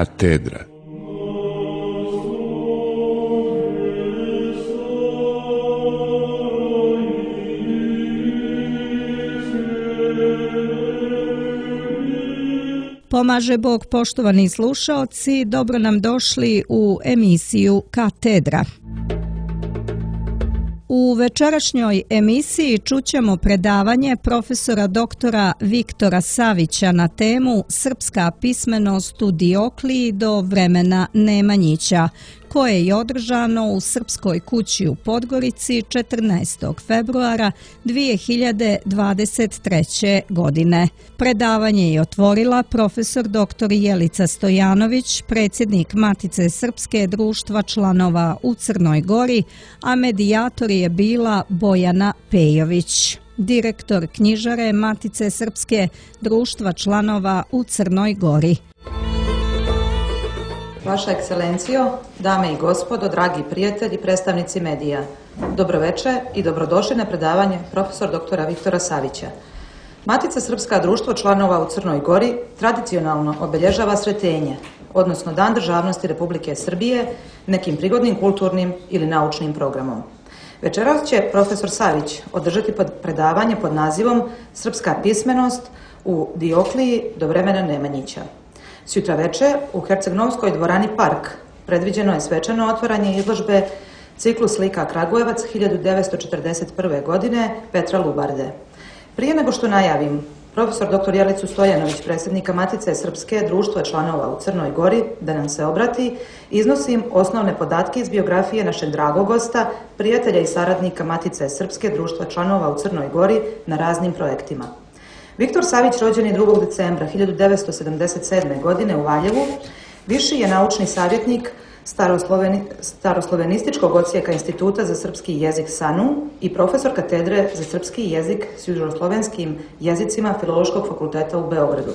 Katedra. Pomaže Bog, poštovani slušaoci, dobro nam došli u emisiju Katedra. U večerašnjoj emisiji čućemo predavanje profesora doktora Viktora Savića na temu Srpska pismenost u Diokliji do vremena Nemanjića, koje je održano u Srpskoj kući u Podgorici 14. februara 2023. godine. Predavanje je otvorila profesor dr. Jelica Stojanović, predsjednik Matice Srpske društva članova u Crnoj Gori, a medijator je bila Bojana Pejović, direktor knjižare Matice Srpske društva članova u Crnoj Gori. Vaša ekscelencijo, dame i gospodo, dragi prijatelji, predstavnici medija, dobroveče i dobrodošli na predavanje profesor doktora Viktora Savića. Matica Srpska društvo članova u Crnoj Gori tradicionalno obilježava Sretenje, odnosno Dan državnosti Republike Srbije, nekim prigodnim kulturnim ili naučnim programom. Večeras će profesor Savić održati predavanje pod nazivom Srpska pismenost u Diokliji do vremena Nemanjića. Sutra veče u Herceg-Novskoj dvorani Park predviđeno je svečano otvaranje izložbe Ciklus slika Kragujevac 1941. godine Petra Lubarde. Prije nego što najavim profesor dr. Jelicu Stojanović, predsjednika Matice Srpske društva članova u Crnoj Gori, da nam se obrati, iznosim osnovne podatke iz biografije našeg dragog gosta, prijatelja i saradnika Matice Srpske društva članova u Crnoj Gori na raznim projektima. Viktor Savić rođen je 2. decembra 1977. godine u Valjevu, viši je naučni savjetnik staroslovenističkog odsjeka Instituta za srpski jezik SANU i profesor katedre za srpski jezik s južnoslovenskim jezicima Filološkog fakulteta u Beogradu.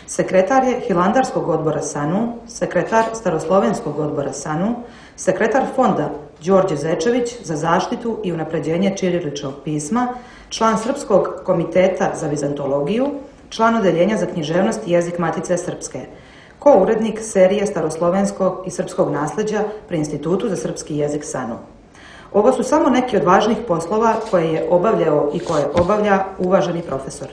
Sekretar je Hilandarskog odbora SANU, sekretar Staroslovenskog odbora SANU, sekretar fonda Đorđe Zečević za zaštitu i unapređenje ćiriličnog pisma, član Srpskog komiteta za vizantologiju, član odeljenja za književnost i jezik Matice Srpske, ko-urednik serije staroslovenskog i srpskog nasleđa pri Institutu za srpski jezik SANU. Ovo su samo neki od važnih poslova koje je obavljao i koje obavlja uvaženi profesor.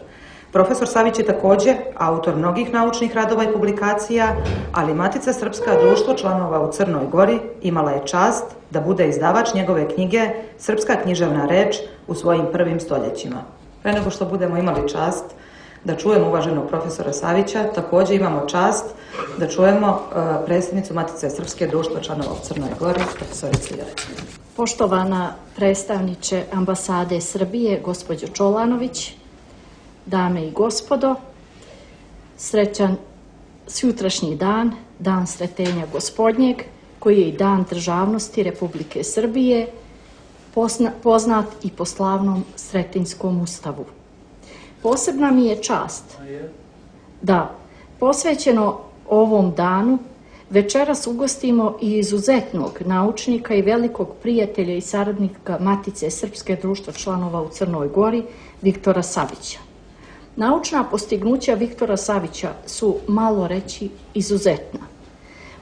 Profesor Savić je također autor mnogih naučnih radova i publikacija, ali Matica Srpska društvo članova u Crnoj Gori imala je čast da bude izdavač njegove knjige Srpska književna reč u svojim prvim stoljećima. Pre nego što budemo imali čast da čujemo uvaženog profesora Savića, također imamo čast da čujemo predsjednicu Matice Srpske društva članova u Crnoj Gori, profesoricu Jelicu. Poštovana predstavniče ambasade Srbije, gospođo Čolanović, dame i gospodo, srećan sutrašnji dan, dan Sretenja Gospodnjeg, koji je i dan državnosti Republike Srbije, poznat i po slavnom Sretenjskom ustavu. Posebna mi je čast da, posvećeno ovom danu, večeras ugostimo i izuzetnog naučnika i velikog prijatelja i saradnika Matice Srpske društva članova u Crnoj Gori, Viktora Savića. Naučna postignuća Viktora Savića su, malo reći, izuzetna.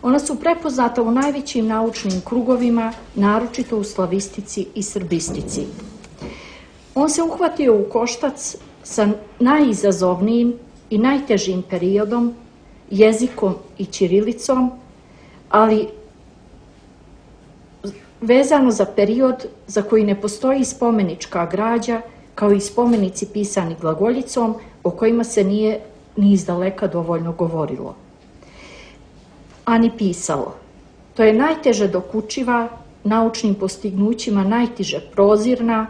Ona su prepoznata u najvećim naučnim krugovima, naročito u slavistici i srbistici. On se uhvatio u koštac sa najizazovnijim i najtežim periodom, jezikom i ćirilicom, ali vezano za period za koji ne postoji spomenička građa, kao i spomenici pisani glagoljicom, o kojima se nije ni izdaleka dovoljno govorilo, a ni pisalo. To je najteže dokučiva, naučnim postignućima najteže prozirna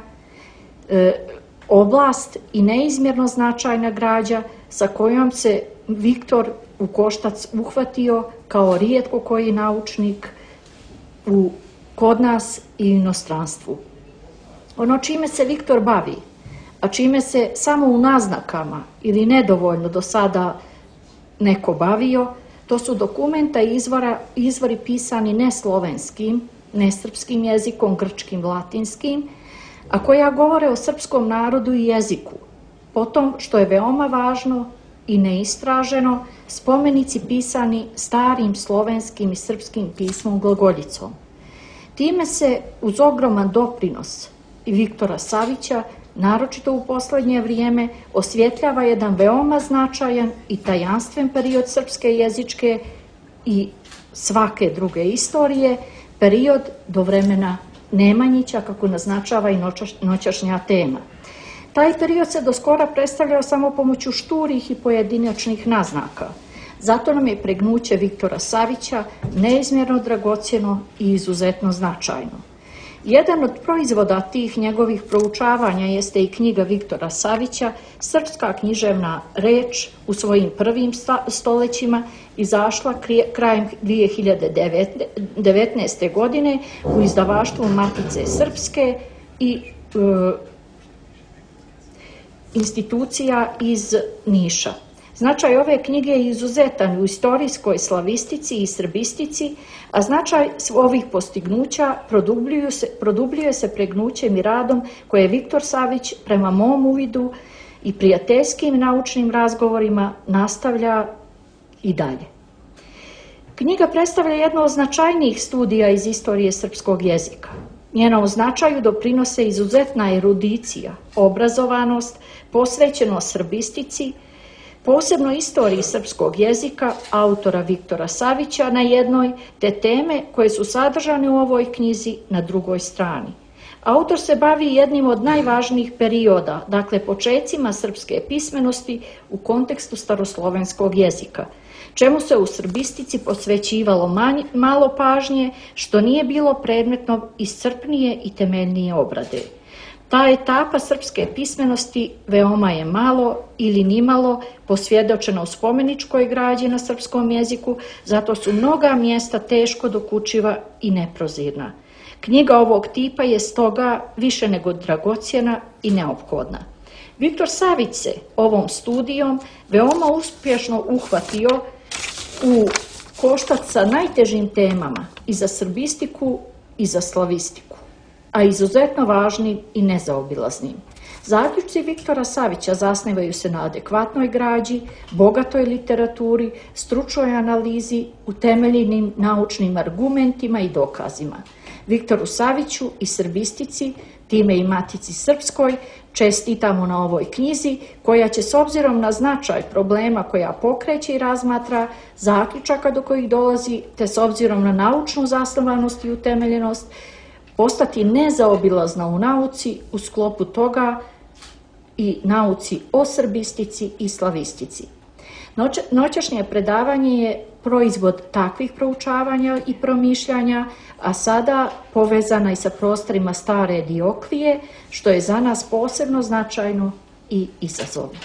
oblast i neizmjerno značajna građa sa kojom se Viktor u koštac uhvatio kao rijetko koji naučnik kod nas i inostranstvu. Ono čime se Viktor bavi, a čime se samo u naznakama ili nedovoljno do sada neko bavio, to su dokumenta i izvori pisani ne slovenskim, ne srpskim jezikom, grčkim, latinskim, a koja govore o srpskom narodu i jeziku. Potom, što je veoma važno, i neistraženo spomenici pisani starim slovenskim i srpskim pismom glagoljicom. Time se uz ogroman doprinos i Viktora Savića, naročito u poslednje vrijeme, osvjetljava jedan veoma značajan i tajanstven period srpske jezičke i svake druge istorije, period do vremena Nemanjića, kako naznačava i noćašnja tema. Taj period se do skora predstavljao samo pomoću šturih i pojedinačnih naznaka. Zato nam je pregnuće Viktora Savića neizmjerno dragocjeno i izuzetno značajno. Jedan od proizvoda tih njegovih proučavanja jeste i knjiga Viktora Savića, Srpska književna reč, u svojim prvim stolećima, izašla krajem 2019. godine u izdavaštvu Matice Srpske i institucija iz Niša. Značaj ove knjige je izuzetan u istorijskoj slavistici i srbistici, a značaj ovih postignuća produbljuje se pregnućem i radom koje je Viktor Savić prema mom uvidu i prijateljskim naučnim razgovorima nastavlja i dalje. Knjiga predstavlja jedno od značajnijih studija iz istorije srpskog jezika. Njenom značaju doprinose izuzetna erudicija, obrazovanost, posvećenost srbistici, posebno istoriji srpskog jezika autora Viktora Savića na jednoj, te teme koje su sadržane u ovoj knjizi na drugoj strani. Autor se bavi jednim od najvažnijih perioda, dakle počecima srpske pismenosti u kontekstu staroslovenskog jezika, čemu se u srbistici posvećivalo malo pažnje, što nije bilo predmetno iscrpnije i temeljnije obrade. Ta etapa srpske pismenosti veoma je malo ili nimalo posvjedočena u spomeničkoj građi na srpskom jeziku, zato su mnoga mjesta teško dokučiva i neprozirna. Knjiga ovog tipa je stoga više nego dragocjena i neophodna. Viktor Savić se ovom studijom veoma uspješno uhvatio u koštac sa najtežim temama i za srbistiku i za slavistiku, a izuzetno važnim i nezaobilaznim. Zaključci Viktora Savića zasnivaju se na adekvatnoj građi, bogatoj literaturi, stručnoj analizi, utemeljenim naučnim argumentima i dokazima. Viktoru Saviću i srbistici, time i Matici Srpskoj, čestitamo na ovoj knjizi, koja će s obzirom na značaj problema koja pokreće i razmatra, zaključaka do kojih dolazi, te s obzirom na naučnu zasnovanost i utemeljenost, postati nezaobilazna u nauci, u sklopu toga i nauci o srbistici i slavistici. Noćašnje predavanje je proizvod takvih proučavanja i promišljanja, a sada povezana i sa prostorima stare Dioklije, što je za nas posebno značajno i izazovno.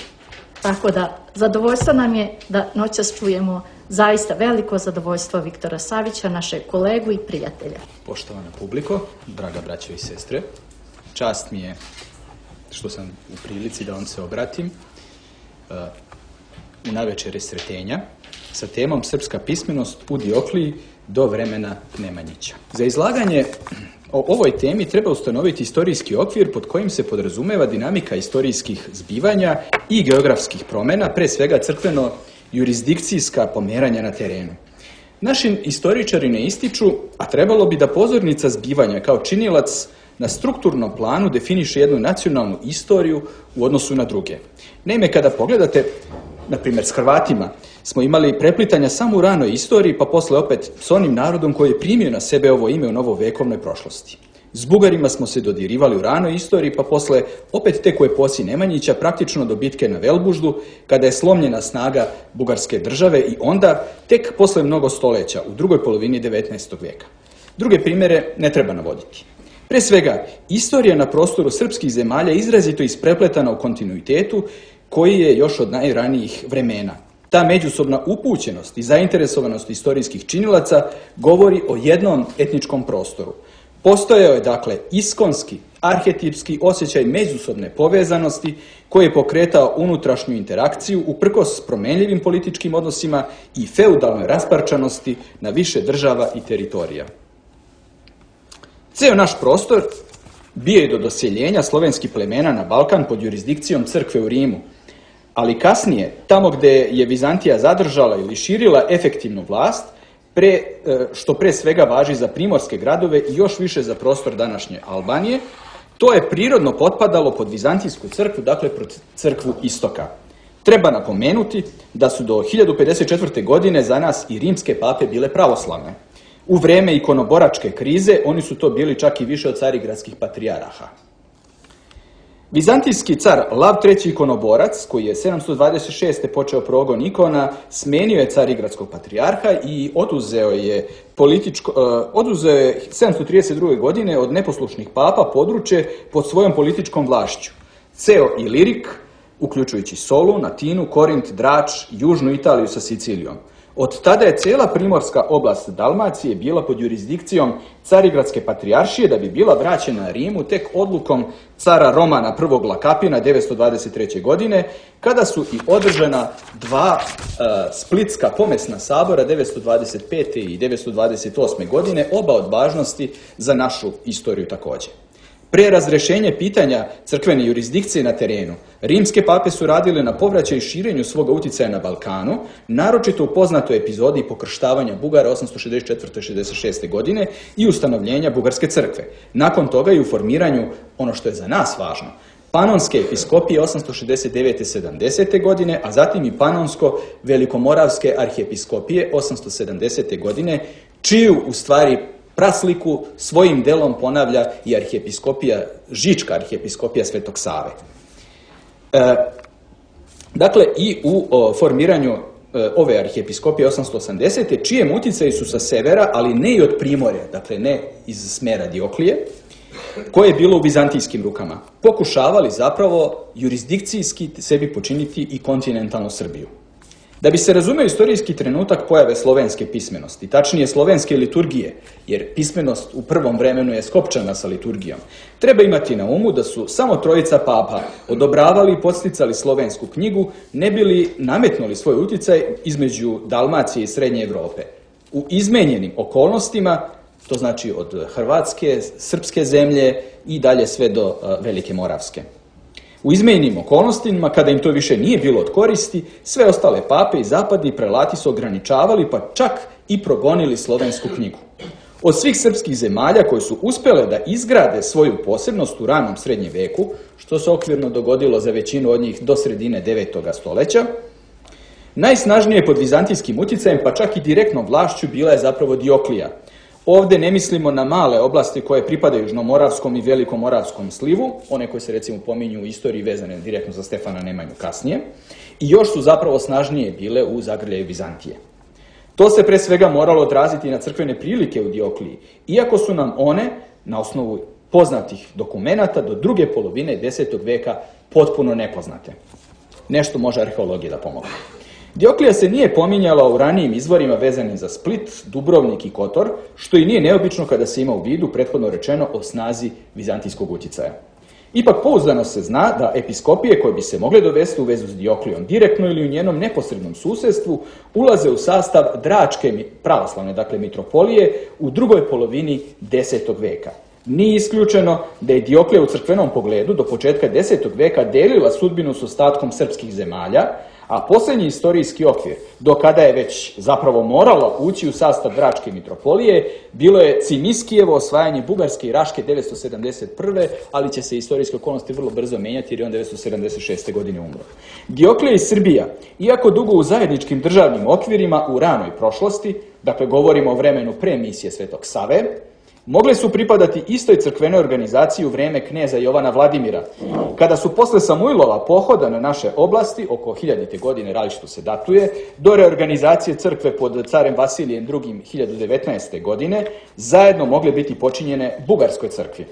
Tako da, zadovoljstvo nam je da noćas čujemo zaista veliko zadovoljstvo Viktora Savića, našeg kolegu i prijatelja. Poštovana publiko, draga braćo i sestre, čast mi je što sam u prilici da vam se obratim u navečer Sretenja sa temom Srpska pismenost u Diokliji do vremena Nemanjića. Za izlaganje o ovoj temi treba ustanoviti istorijski okvir pod kojim se podrazumeva dinamika istorijskih zbivanja i geografskih promjena, pre svega crkveno-jurisdikcijska pomeranja na terenu. Naši istoričari ne ističu, a trebalo bi da pozornica zbivanja kao činilac na strukturnom planu definiše jednu nacionalnu istoriju u odnosu na druge. Naime, kada pogledate, na primjer, s Hrvatima smo imali preplitanja samo u ranoj istoriji, pa posle opet s onim narodom koji je primio na sebe ovo ime u novovekovnoj prošlosti. S Bugarima smo se dodirivali u ranoj istoriji, pa posle opet tek u eposi Nemanjića, praktično do bitke na Velbuždu, kada je slomljena snaga bugarske države i onda tek posle mnogo stoleća, u drugoj polovini 19. vijeka. Druge primjere ne treba navoditi. Pre svega, istorija na prostoru srpskih zemalja izrazito isprepletana u kontinuitetu koji je još od najranijih vremena. Ta međusobna upućenost i zainteresovanost istorijskih činilaca govori o jednom etničkom prostoru. Postojao je, dakle, iskonski, arhetipski osjećaj međusobne povezanosti koji je pokretao unutrašnju interakciju uprkos promenljivim političkim odnosima i feudalnoj rasparčanosti na više država i teritorija. Ceo naš prostor bio je do doseljenja slovenskih plemena na Balkan pod jurisdikcijom crkve u Rimu, Ali kasnije, tamo gdje je Vizantija zadržala ili širila efektivnu vlast, što pre svega važi za primorske gradove i još više za prostor današnje Albanije, to je prirodno potpadalo pod Vizantijsku crkvu, dakle pod crkvu istoka. Treba napomenuti da su do 1054. godine za nas i rimske pape bile pravoslavne. U vreme ikonoboračke krize oni su to bili čak i više od carigradskih patrijaraha. Vizantijski car Lav III. Ikonoborac, koji je 726. počeo progon ikona, smenio je carigradskog patrijarha i oduzeo je 732. godine od neposlušnih papa područje pod svojom političkom vlašću. Ceo Ilirik, uključujući Solun, Atinu, Korint, Drač, južnu Italiju sa Sicilijom. Od tada je cijela primorska oblast Dalmacije bila pod jurisdikcijom Carigradske patrijaršije, da bi bila vraćena Rimu tek odlukom cara Romana I. Lakapina 923. godine, kada su i održana dva splitska pomesna sabora 925. i 928. godine, oba od važnosti za našu istoriju također. Pre razrešenja pitanja crkvene jurisdikcije na terenu, rimske pape su radile na povraćaju i širenju svoga utjecaja na Balkanu, naročito u poznatoj epizodi pokrštavanja Bugara 864. 66. godine i ustanovljenja Bugarske crkve. Nakon toga i u formiranju, ono što je za nas važno, Panonske episkopije 869. 70. godine, a zatim i Panonsko-velikomoravske arhiepiskopije 870. godine, čiju u stvari prasliku svojim delom ponavlja i Žička arhiepiskopija Svetog Save. Dakle, i u formiranju ove arhiepiskopije 880. čijem utjecaju su sa severa, ali ne i od Primorja, dakle ne iz smera Dioklije, koje je bilo u vizantijskim rukama, pokušavali zapravo jurisdikcijski sebi počiniti i kontinentalnu Srbiju. Da bi se razumeo istorijski trenutak pojave slovenske pismenosti, tačnije slovenske liturgije, jer pismenost u prvom vremenu je skopčana sa liturgijom, treba imati na umu da su samo trojica papa odobravali i podsticali slovensku knjigu, ne bili nametnuli svoj utjecaj između Dalmacije i Srednje Evrope. U izmenjenim okolnostima, to znači od Hrvatske, srpske zemlje i dalje sve do Velike Moravske. U izmenjenim okolnostima, kada im to više nije bilo od koristi, sve ostale pape i zapadni prelati su ograničavali, pa čak i progonili slovensku knjigu. Od svih srpskih zemalja koje su uspjele da izgrade svoju posebnost u ranom srednjem veku, što se okvirno dogodilo za većinu od njih do sredine 9. stoljeća, najsnažnije pod vizantijskim utjecajem, pa čak i direktnom vlašću, bila je zapravo Dioklija. Ovdje ne mislimo na male oblasti koje pripadaju Južnomoravskom i Velikomoravskom slivu, one koje se recimo pominju u istoriji vezane direktno za Stefana Nemanju kasnije, i još su zapravo snažnije bile u zagrljaju Vizantije. To se pre svega moralo odraziti na crkvene prilike u Diokliji, iako su nam one, na osnovu poznatih dokumenata, do druge polovine 10. veka potpuno nepoznate. Nešto može arheologija da pomogne. Dioklija se nije pominjala u ranijim izvorima vezanim za Split, Dubrovnik i Kotor, što i nije neobično kada se ima u vidu prethodno rečeno o snazi vizantijskog utjecaja. Ipak pouzdano se zna da episkopije koje bi se mogle dovesti u vezu s Dioklijom direktno ili u njenom neposrednom susjedstvu ulaze u sastav Dračke pravoslavne, dakle mitropolije, u drugoj polovini 10. veka. Nije isključeno da je Dioklija u crkvenom pogledu do početka 10. veka delila sudbinu s ostatkom srpskih zemalja, a posljednji istorijski okvir, do kada je već zapravo moralo ući u sastav Dračke mitropolije, bilo je Cimiskijevo osvajanje Bugarske i Raške 971. ali će se istorijske okolnosti vrlo brzo menjati jer je on 976. godine umro. Dioklija i Srbija, iako dugo u zajedničkim državnim okvirima u ranoj prošlosti, dakle govorimo o vremenu pre misije Svetog Save, mogle su pripadati istoj crkvenoj organizaciji u vreme kneza Jovana Vladimira. Kada su posle Samuilova pohoda na naše oblasti, oko 1000. godine, različito se datuje, do reorganizacije crkve pod carem Vasilijem II. 1019. godine, zajedno mogle biti počinjene Bugarskoj crkvi.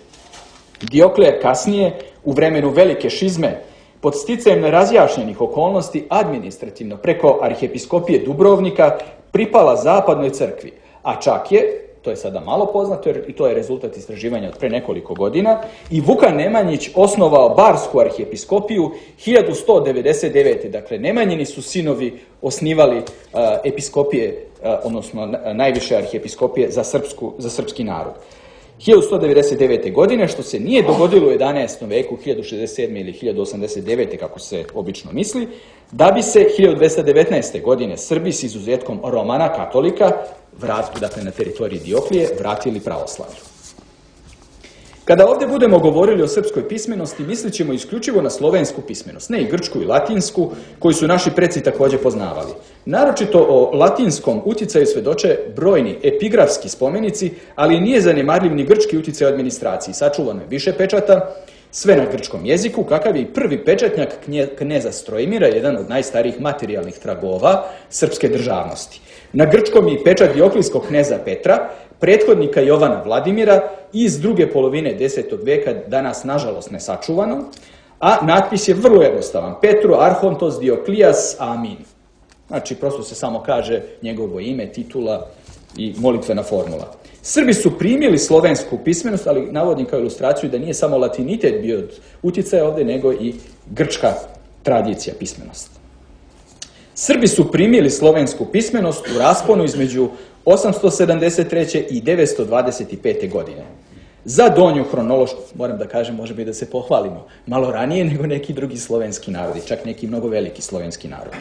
Dioklija kasnije, u vremenu velike šizme, pod sticajem nerazjašnjenih okolnosti administrativno preko arhiepiskopije Dubrovnika pripala zapadnoj crkvi, a čak je, to je sada malo poznato jer i to je rezultat istraživanja od pre nekoliko godina, i Vukan Nemanjić osnovao Barsku arhiepiskopiju 1199. Dakle, Nemanjini su sinovi osnivali episkopije, odnosno najviše arhiepiskopije za srpski narod. 1199. godine, što se nije dogodilo u 11. veku, 1067. ili 1089. kako se obično misli, da bi se 1219. godine Srbi s izuzetkom Romana, katolika, dakle na teritoriji Dioklije, vratili pravoslavlju. Kada ovdje budemo govorili o srpskoj pismenosti, mislit ćemo isključivo na slovensku pismenost, ne i grčku i latinsku, koju su naši preci također poznavali. Naročito o latinskom utjecaju svjedoče brojni epigrafski spomenici, ali nije zanemarljiv ni grčki utjecaj u administraciji. Sačuvano je više pečata, sve na grčkom jeziku, kakav je i prvi pečatnjak kneza Strojmira, jedan od najstarijih materijalnih tragova srpske državnosti. Na grčkom je i pečat dioklijskog kneza Petra, prethodnika Jovana Vladimira iz druge polovine 10. veka, danas nažalost nesačuvano, a natpis je vrlo jednostavan. Petru Arhontos Dioklijas Amin. Znači, prosto se samo kaže njegovo ime, titula i molitvena formula. Srbi su primili slovensku pismenost, ali navodim kao ilustraciju da nije samo latinitet bio od utjecaja ovdje, nego i grčka tradicija pismenosti. Srbi su primili slovensku pismenost u rasponu između 873. i 925. godine. Za donju hronološku, moram da kažem, može biti da se pohvalimo, malo ranije nego neki drugi slovenski narodi, čak neki mnogo veliki slovenski narodi.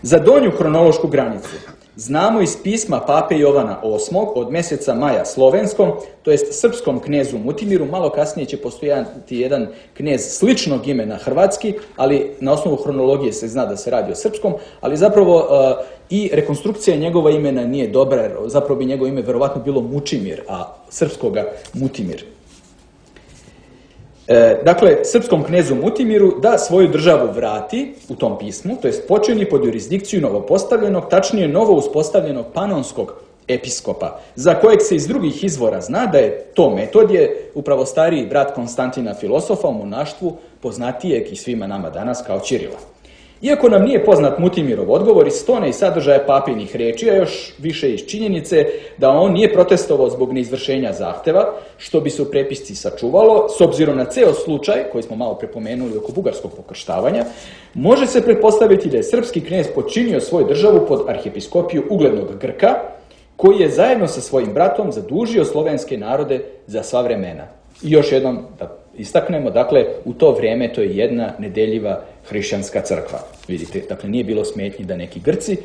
Za donju hronološku granicu znamo iz pisma pape Jovana VIII od mjeseca maja slovenskom, to jest srpskom knezu Mutimiru. Malo kasnije će postojati jedan knez sličnog imena hrvatski, ali na osnovu hronologije se zna da se radi o srpskom, ali zapravo i rekonstrukcija njegova imena nije dobra, jer zapravo bi njegovo ime verovatno bilo Mučimir, a srpskoga Mutimir. Dakle, srpskom knezu Mutimiru da svoju državu vrati u tom pismu, to jest počini pod jurisdikciju novopostavljenog, tačnije novo uspostavljenog panonskog episkopa, za kojeg se iz drugih izvora zna da je to Metodije, upravo stariji brat Konstantina filosofa u monaštvu, poznatijeg i svima nama danas kao Ćirila. Iako nam nije poznat Mutimirov odgovor iz tone i sadržaja papinih riječi, a još više iz činjenice da on nije protestovao zbog neizvršenja zahteva, što bi se u prepisci sačuvalo, s obzirom na ceo slučaj, koji smo malo prepomenuli oko bugarskog pokrštavanja, može se pretpostaviti da je srpski knez počinio svoju državu pod arhiepiskopiju uglednog Grka, koji je zajedno sa svojim bratom zadužio slovenske narode za sva vremena. I još jednom da istaknemo, dakle, u to vrijeme to je jedna nedeljiva hrišćanska crkva. Vidite, dakle, nije bilo smetnji da neki Grci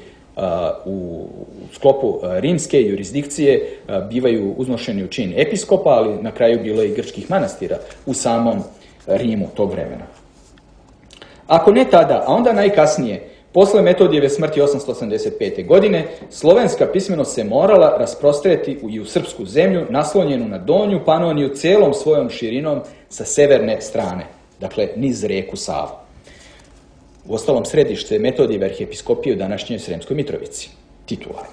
u sklopu rimske jurisdikcije bivaju uznošeni u čin episkopa, ali na kraju bilo je i grčkih manastira u samom Rimu tog vremena. Ako ne tada, a onda najkasnije, posle Metodijeve smrti 885. godine, slovenska pismenost se morala rasprostreti i u srpsku zemlju, naslonjenu na donju Panoniju celom svojom širinom sa severne strane, dakle niz reku Savu. Uostalom, središte Metodijeve arhiepiskopije u današnjoj Sremskoj Mitrovici, titularno.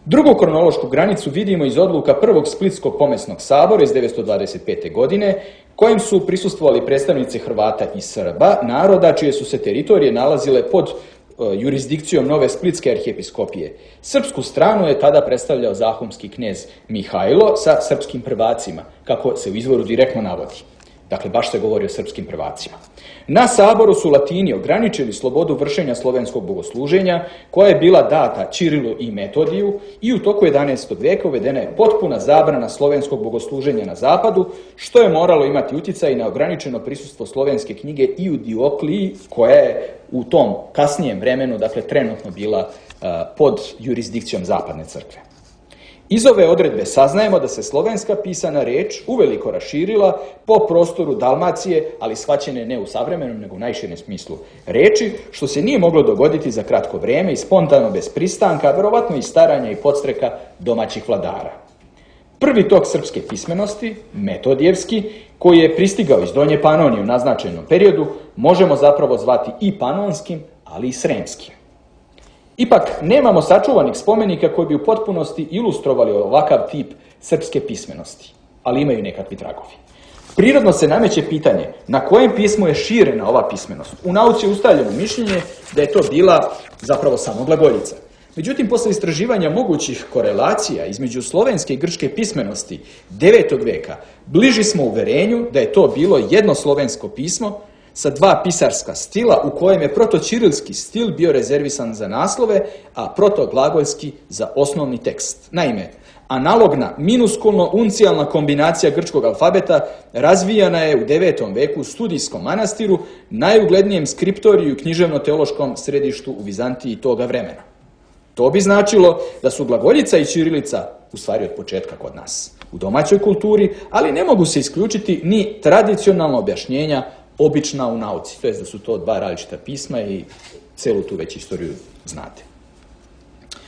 Drugu kronološku granicu vidimo iz odluka Prvog Splitskog pomesnog sabora iz 925. godine, kojim su prisustvovali predstavnici Hrvata i Srba, naroda čije su se teritorije nalazile pod jurisdikcijom nove Splitske arhiepiskopije. Srpsku stranu je tada predstavljao zahumski knez Mihajlo sa srpskim prvacima, kako se u izvoru direktno navodi. Dakle, baš se govori o srpskim prvacima. Na saboru su Latini ograničili slobodu vršenja slovenskog bogosluženja, koja je bila data Ćirilu i Metodiju, i u toku 11. veka uvedena je potpuna zabrana slovenskog bogosluženja na zapadu, što je moralo imati utjecaj na ograničeno prisustvo slovenske knjige i u Diokliji, koja je u tom kasnijem vremenu, dakle, trenutno bila pod jurisdikcijom zapadne crkve. Iz ove odredbe saznajemo da se slovenska pisana reč uveliko raširila po prostoru Dalmacije, ali shvaćene ne u savremenom, nego u najširem smislu reči, što se nije moglo dogoditi za kratko vrijeme i spontano bez pristanka, verovatno i staranja i podstreka domaćih vladara. Prvi tok srpske pismenosti, metodijevski, koji je pristigao iz Donje Panonije u naznačenom periodu, možemo zapravo zvati i panonskim, ali i sremskim. Ipak, nemamo sačuvanih spomenika koji bi u potpunosti ilustrovali ovakav tip srpske pismenosti, ali imaju nekakvi tragovi. Prirodno se nameće pitanje na kojem pismu je širena ova pismenost. U nauci je ustaljeno mišljenje da je to bila zapravo samo glagoljica. Međutim, posle istraživanja mogućih korelacija između slovenske i grčke pismenosti 9. veka, bliži smo uverenju da je to bilo jedno slovensko pismo sa 2 pisarska stila u kojem je protočirilski stil bio rezervisan za naslove, a protoglagoljski za osnovni tekst. Naime, analogna minuskulno-uncijalna kombinacija grčkog alfabeta razvijana je u 9. veku u Studijskom manastiru, najuglednijem skriptoriju i književno-teološkom središtu u Vizantiji toga vremena. To bi značilo da su glagoljica i ćirilica u stvari od početka kod nas u domaćoj kulturi, ali ne mogu se isključiti ni tradicionalna objašnjenja obična u nauci, to jest da su to 2 različita pisma i celu tu već istoriju znate.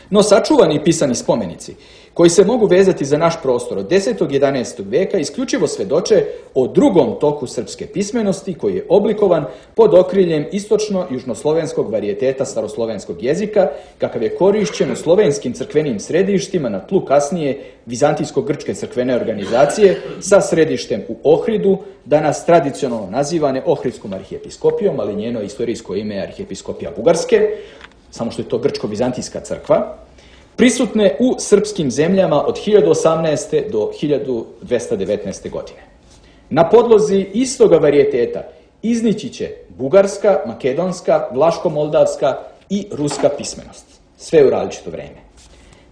No sačuvani pisani spomenici, koji se mogu vezati za naš prostor od 10. i 11. veka, isključivo svedoče o drugom toku srpske pismenosti koji je oblikovan pod okriljem istočno-južnoslovenskog varijeteta staroslovenskog jezika, kakav je korišćen u slovenskim crkvenim središtima na tlu kasnije vizantijsko-grčke crkvene organizacije sa središtem u Ohridu, danas tradicionalno nazivane Ohridskom arhijepiskopijom, ali njeno istorijsko ime je Arhijepiskopija Bugarske, samo što je to grčko-vizantijska crkva, prisutne u srpskim zemljama od 1018. do 1219. godine. Na podlozi istoga varijeteta iznići će bugarska, makedonska, vlaško-moldavska i ruska pismenost, sve u različito vreme.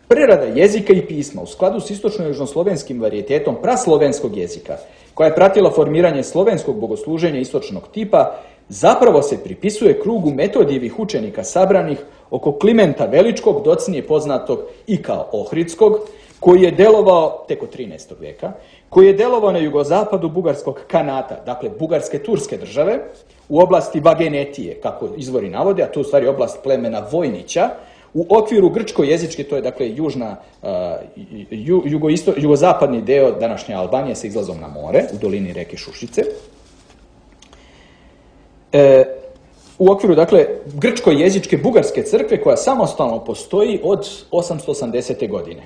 Prerada jezika i pisma u skladu s istočno-južnoslovenskim varijetetom praslovenskog jezika, koja je pratila formiranje slovenskog bogosluženja istočnog tipa, zapravo se pripisuje krugu Metodijevih učenika sabranih oko Klimenta Veličkog, docnije poznatog i kao Ohridskog, koji je delovao tek od 13. veka, koji je delovao na jugozapadu bugarskog kanata, dakle bugarske turske države, u oblasti Vagenetije, kako izvori navode, a to je u stvari oblast plemena Vojnića, u okviru grčko-jezičke, to je dakle jugozapadni deo današnje Albanije sa izlazom na more, u dolini reke Šušice. U okviru, dakle, grčko-jezičke bugarske crkve koja samostalno postoji od 880. godine.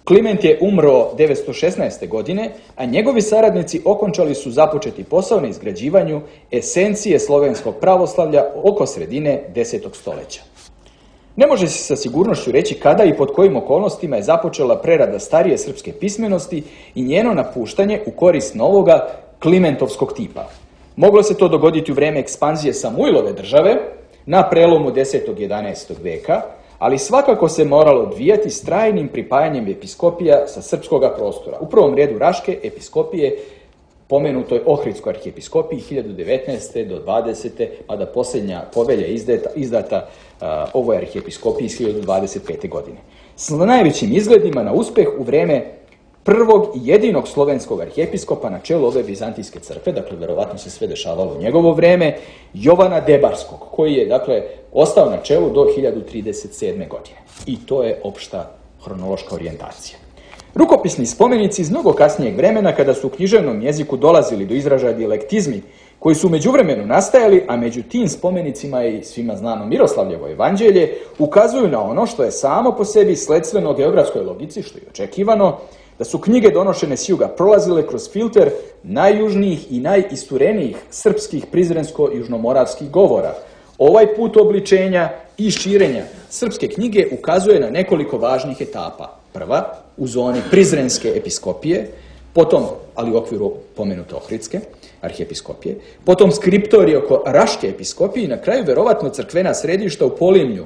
Kliment je umro 916. godine, a njegovi saradnici okončali su započeti posao na izgrađivanju esencije slovenskog pravoslavlja oko sredine 10. stoljeća. Ne može se sa sigurnošću reći kada i pod kojim okolnostima je započela prerada starije srpske pismenosti i njeno napuštanje u korist novoga klimentovskog tipa. Moglo se to dogoditi u vreme ekspanzije Samuilove države na prelomu 10. i 11. veka, ali svakako se moralo odvijati s trajnim pripajanjem episkopija sa srpskoga prostora. U prvom redu Raške episkopije, pomenutoj Ohridskoj arhijepiskopiji 1019. do 20. pa da posljednja povelja izdata ovoj arhijepiskopiji iz 1025. godine. S najvećim izgledima na uspeh u vreme prvog i jedinog slovenskog arhijepiskopa na čelu ove vizantijske crkve, dakle, verovatno se sve dešavalo u njegovo vreme, Jovana Debarskog, koji je, dakle, ostao na čelu do 1037. godine. I to je opšta hronološka orijentacija. Rukopisni spomenici iz mnogo kasnijeg vremena, kada su u književnom jeziku dolazili do izražaja dijalektizmi, koji su u međuvremenu nastajali, a među tim spomenicima i svima znano Miroslavljevo evanđelje, ukazuju na ono što je samo po sebi sledstveno geografskoj logici, što je očekivano, da su knjige donošene s juga prolazile kroz filter najjužnijih i najisturenijih srpskih prizrensko-južnomoravskih govora. Ovaj put obličenja i širenja srpske knjige ukazuje na nekoliko važnih etapa. Prva, u zoni prizrenske episkopije, potom, ali u okviru pomenute Ohridske arhijepiskopije, potom skriptorije oko Raške episkopije i na kraju verovatno crkvena središta u Polimlju,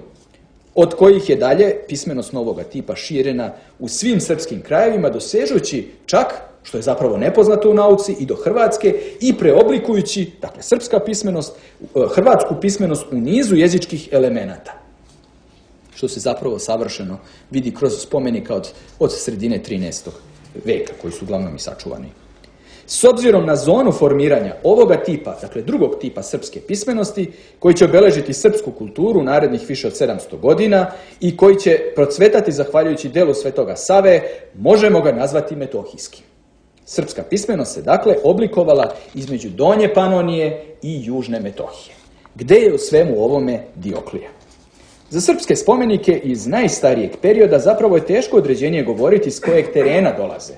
od kojih je dalje pismenost novoga tipa širena u svim srpskim krajevima, dosežući čak, što je zapravo nepoznato u nauci, i do Hrvatske i preoblikujući, dakle, srpska pismenost, hrvatsku pismenost u nizu jezičkih elemenata, što se zapravo savršeno vidi kroz spomenika od sredine 13. veka, koji su uglavnom i sačuvani. S obzirom na zonu formiranja ovoga tipa, dakle drugog tipa srpske pismenosti, koji će obeležiti srpsku kulturu u narednih više od 700 godina i koji će procvetati zahvaljujući delu Svetoga Save, možemo ga nazvati metohijskim. Srpska pismenost se dakle oblikovala između Donje Panonije i Južne Metohije. Gde je u svemu ovome Dioklija? Za srpske spomenike iz najstarijeg perioda zapravo je teško određenje govoriti s kojeg terena dolaze.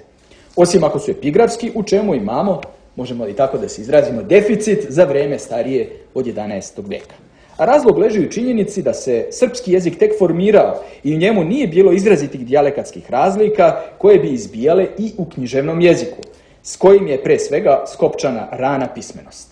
Osim ako su epigrafski, u čemu imamo, možemo li tako da se izrazimo, deficit za vreme starije od 11. veka. A razlog leži u činjenici da se srpski jezik tek formirao i u njemu nije bilo izrazitih dijalekatskih razlika koje bi izbijale i u književnom jeziku, s kojim je pre svega skopčana rana pismenost.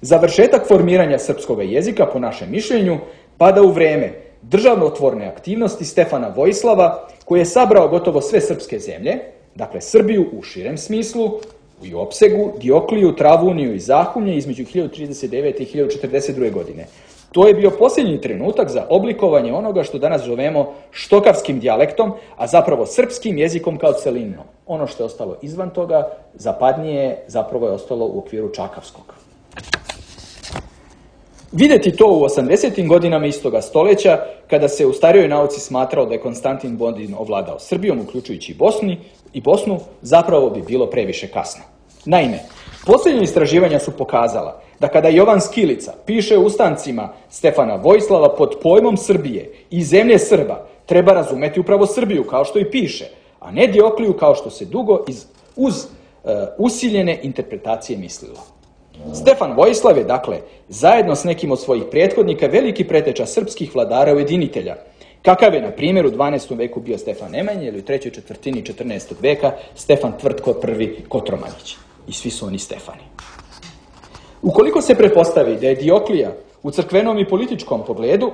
Završetak formiranja srpskog jezika, po našem mišljenju, pada u vreme državotvorne aktivnosti Stefana Vojislava, koji je sabrao gotovo sve srpske zemlje, dakle Srbiju u širem smislu, i opsegu, Diokliju, Travuniju i Zahumlje između 1039. i 1042. godine. To je bio posljednji trenutak za oblikovanje onoga što danas zovemo štokavskim dijalektom, a zapravo srpskim jezikom kao celinom. Ono što je ostalo izvan toga, zapadnije, zapravo je ostalo u okviru čakavskog. Vidjeti to u 80. godinama istoga stoljeća, kada se u starijoj nauci smatrao da je Konstantin Bodin ovladao Srbijom, uključujući i Bosnu, zapravo bi bilo previše kasno. Naime, posljednja istraživanja su pokazala da kada Jovan Skilica piše u ustancima Stefana Vojislava pod pojmom Srbije i zemlje Srba, treba razumeti upravo Srbiju, kao što i piše, a ne Diokliju, kao što se dugo uz usiljene interpretacije mislilo. Stefan Vojislav je, dakle, zajedno s nekim od svojih prethodnika veliki preteča srpskih vladara ujedinitelja, kakav je, na primjer, u 12. veku bio Stefan Nemanja ili u 3. četvrtini 14. veka Stefan Tvrtko I Kotromanić. I svi su oni Stefani. Ukoliko se pretpostavi da je Dioklija u crkvenom i političkom pogledu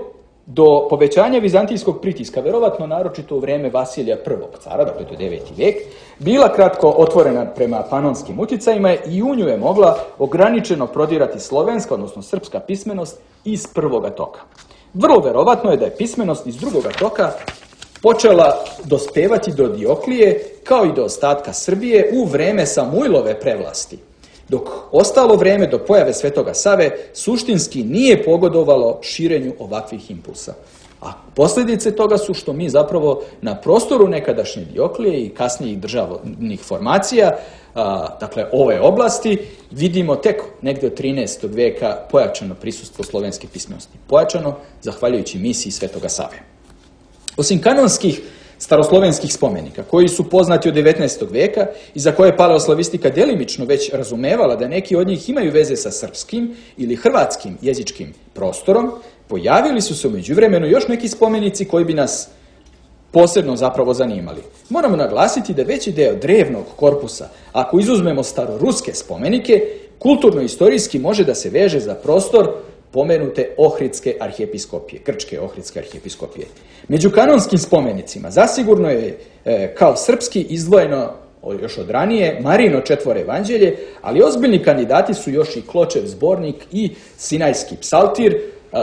do povećanja vizantijskog pritiska, verovatno naročito u vreme Vasilija I cara, dakle to je 9. vek, bila kratko otvorena prema panonskim utjecajima i u nju je mogla ograničeno prodirati slovenska, odnosno srpska pismenost iz prvoga toka. Vrlo verovatno je da je pismenost iz drugoga toka počela dospevati do Dioklije, kao i do ostatka Srbije, u vreme Samuilove prevlasti, dok ostalo vreme do pojave Svetoga Save suštinski nije pogodovalo širenju ovakvih impulsa. A posljedice toga su što mi zapravo na prostoru nekadašnje Dioklije i kasnijih državnih formacija, dakle ove oblasti, vidimo tek negdje od 13. veka pojačano prisustvo slovenske pismenosti. Pojačano zahvaljujući misiji Svetoga Save. Osim kanonskih staroslovenskih spomenika, koji su poznati od 19. veka i za koje je paleoslavistika delimično već razumevala da neki od njih imaju veze sa srpskim ili hrvatskim jezičkim prostorom, pojavili su se u međuvremenu još neki spomenici koji bi nas posebno zapravo zanimali. Moramo naglasiti da veći deo drevnog korpusa, ako izuzmemo staroruske spomenike, kulturno-istorijski može da se veže za prostor pomenute Ohridske arhijepiskopije, grčke Ohridske arhijepiskopije. Među kanonskim spomenicima zasigurno je kao srpski izdvojeno još od ranije Marino četvoro evanđelje, ali ozbiljni kandidati su još i Kločev zbornik i Sinajski psaltir,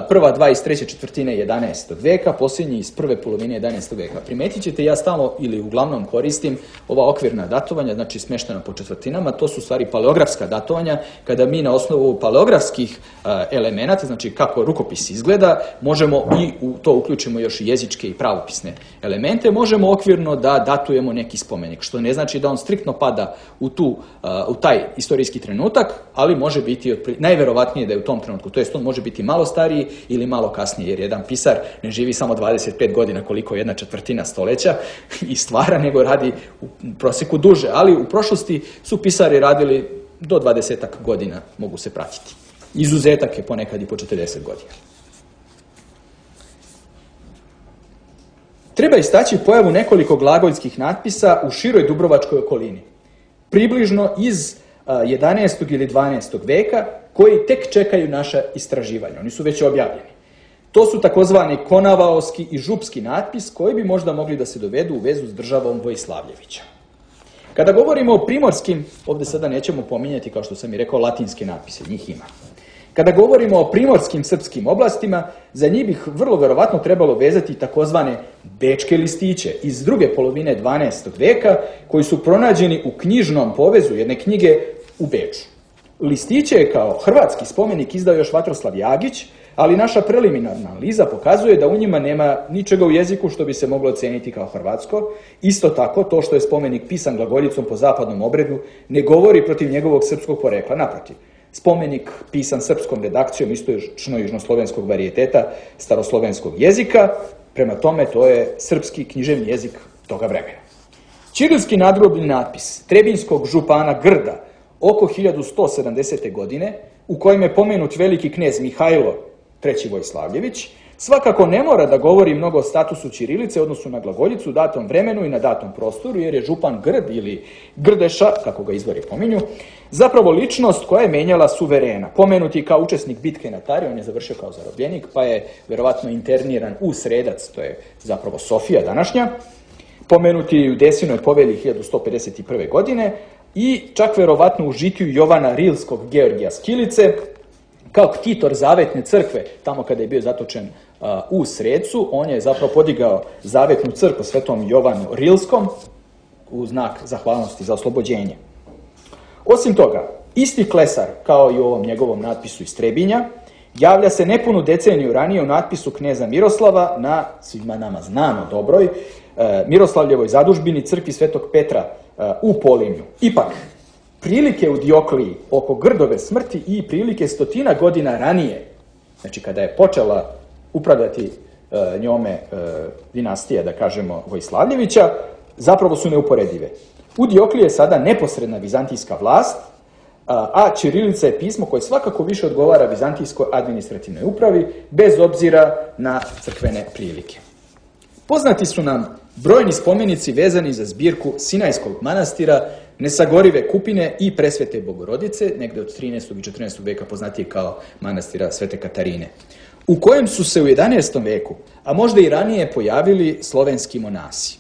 prva dva iz 3. četvrtine 11. veka, posljednji iz prve polovine 11. veka. Primetit ćete, ja stalno ili uglavnom koristim ova okvirna datovanja, znači smještena po četvrtinama, to su u stvari paleografska datovanja, kada mi na osnovu paleografskih elemenata, znači kako rukopis izgleda, možemo i u to uključimo još i jezičke i pravopisne elemente, možemo okvirno da datujemo neki spomenik, što ne znači da on striktno pada u taj istorijski trenutak, ali može biti najverovatnije da je u tom trenutku, to jest on može biti malo stariji ili malo kasnije, jer jedan pisar ne živi samo 25 godina koliko jedna četvrtina stoljeća i stvara, nego radi u prosjeku duže, ali u prošlosti su pisari radili do 20 godina, mogu se pratiti. Izuzetak je ponekad i po 40 godina. Treba istaći pojavu nekoliko glagoljskih natpisa u široj dubrovačkoj okolini, približno iz 11. ili 12. veka, koji tek čekaju naša istraživanja. Oni su već objavljeni. To su takozvani konavaoski i župski natpis, koji bi možda mogli da se dovedu u vezu s državom Vojislavljevića. Kada govorimo o primorskim, ovdje sada nećemo pominjati, kao što sam i rekao, latinske natpise, njih ima. Kada govorimo o primorskim srpskim oblastima, za njih bih vrlo verovatno trebalo vezati takozvane bečke listiće iz druge polovine 12. veka, koji su pronađeni u knjižnom povezu jedne knjige u Beču. Listiće je kao hrvatski spomenik izdao još Vatroslav Jagić, ali naša preliminarna analiza pokazuje da u njima nema ničega u jeziku što bi se moglo oceniti kao hrvatsko. Isto tako, to što je spomenik pisan glagoljicom po zapadnom obredu ne govori protiv njegovog srpskog porekla. Naprotiv, spomenik pisan srpskom redakcijom istočno južnoslovenskog varijeteta staroslovenskog jezika, prema tome to je srpski književni jezik toga vremena. Ćirilski nadgrobni natpis trebinjskog župana Grda oko 1170. godine, u kojem je pomenut veliki knez Mihajlo III. Vojislavljević, Svakako ne mora da govori mnogo o statusu ćirilice u odnosu na glagoljicu u datom vremenu i na datom prostoru, jer je župan Grd ili Grdeša, kako ga izvori pominju, zapravo ličnost koja je menjala suverena. Pomenuti kao učesnik bitke na Tari, on je završio kao zarobljenik, pa je verovatno interniran u Sredac, to je zapravo Sofija današnja, pomenuti u Desinoj povelji 1151. godine i čak verovatno u žitiju Jovana Rilskog Georgija Skilice, kao ktitor Zavetne crkve, tamo kada je bio zatočen u Srecu, on je zapravo podigao Zavetnu crkvu svetom Jovanu Rilskom u znak zahvalnosti za oslobođenje. Osim toga, isti Klesar, kao i u ovom njegovom natpisu iz Trebinja, javlja se nepunu deceniju ranije u natpisu kneza Miroslava na svima nama znano dobroj Miroslavljevoj zadužbini crkvi svetog Petra u Polimlju. Ipak, prilike u Diokliji oko Grdove smrti i prilike 100 godina ranije, znači kada je počela upravljati njome dinastija, da kažemo, Vojslavljevića, zapravo su neuporedive. U Diokliji je sada neposredna vizantijska vlast, a ćirilica je pismo koje svakako više odgovara vizantijskoj administrativnoj upravi, bez obzira na crkvene prilike. Poznati su nam brojni spomenici vezani za zbirku Sinajskog manastira, Nesagorive kupine i Presvete Bogorodice, negde od 13. i 14. veka poznatije kao manastira Svete Katarine, u kojem su se u 11. veku, a možda i ranije, pojavili slovenski monasi.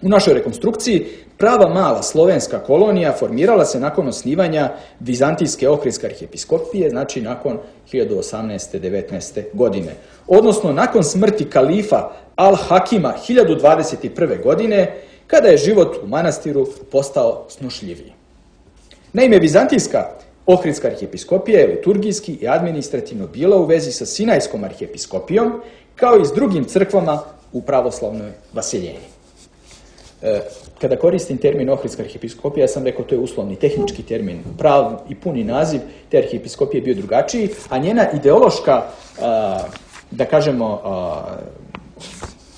U našoj rekonstrukciji prava mala slovenska kolonija formirala se nakon osnivanja Vizantijske Ohridske arhijepiskopije, znači nakon 1018. 19. godine, odnosno nakon smrti kalifa Al-Hakima 1021. godine, kada je život u manastiru postao snošljiviji. Naime, Vizantijska Ohridska arhijepiskopija je liturgijski i administrativno bila u vezi sa Sinajskom arhijepiskopijom, kao i s drugim crkvama u pravoslavnoj vaseljenji. Kada koristim termin Ohridska arhijepiskopija, ja sam rekao to je uslovni, tehnički termin, pravi i puni naziv te arhijepiskopije je bio drugačiji, a njena ideološka, da kažemo,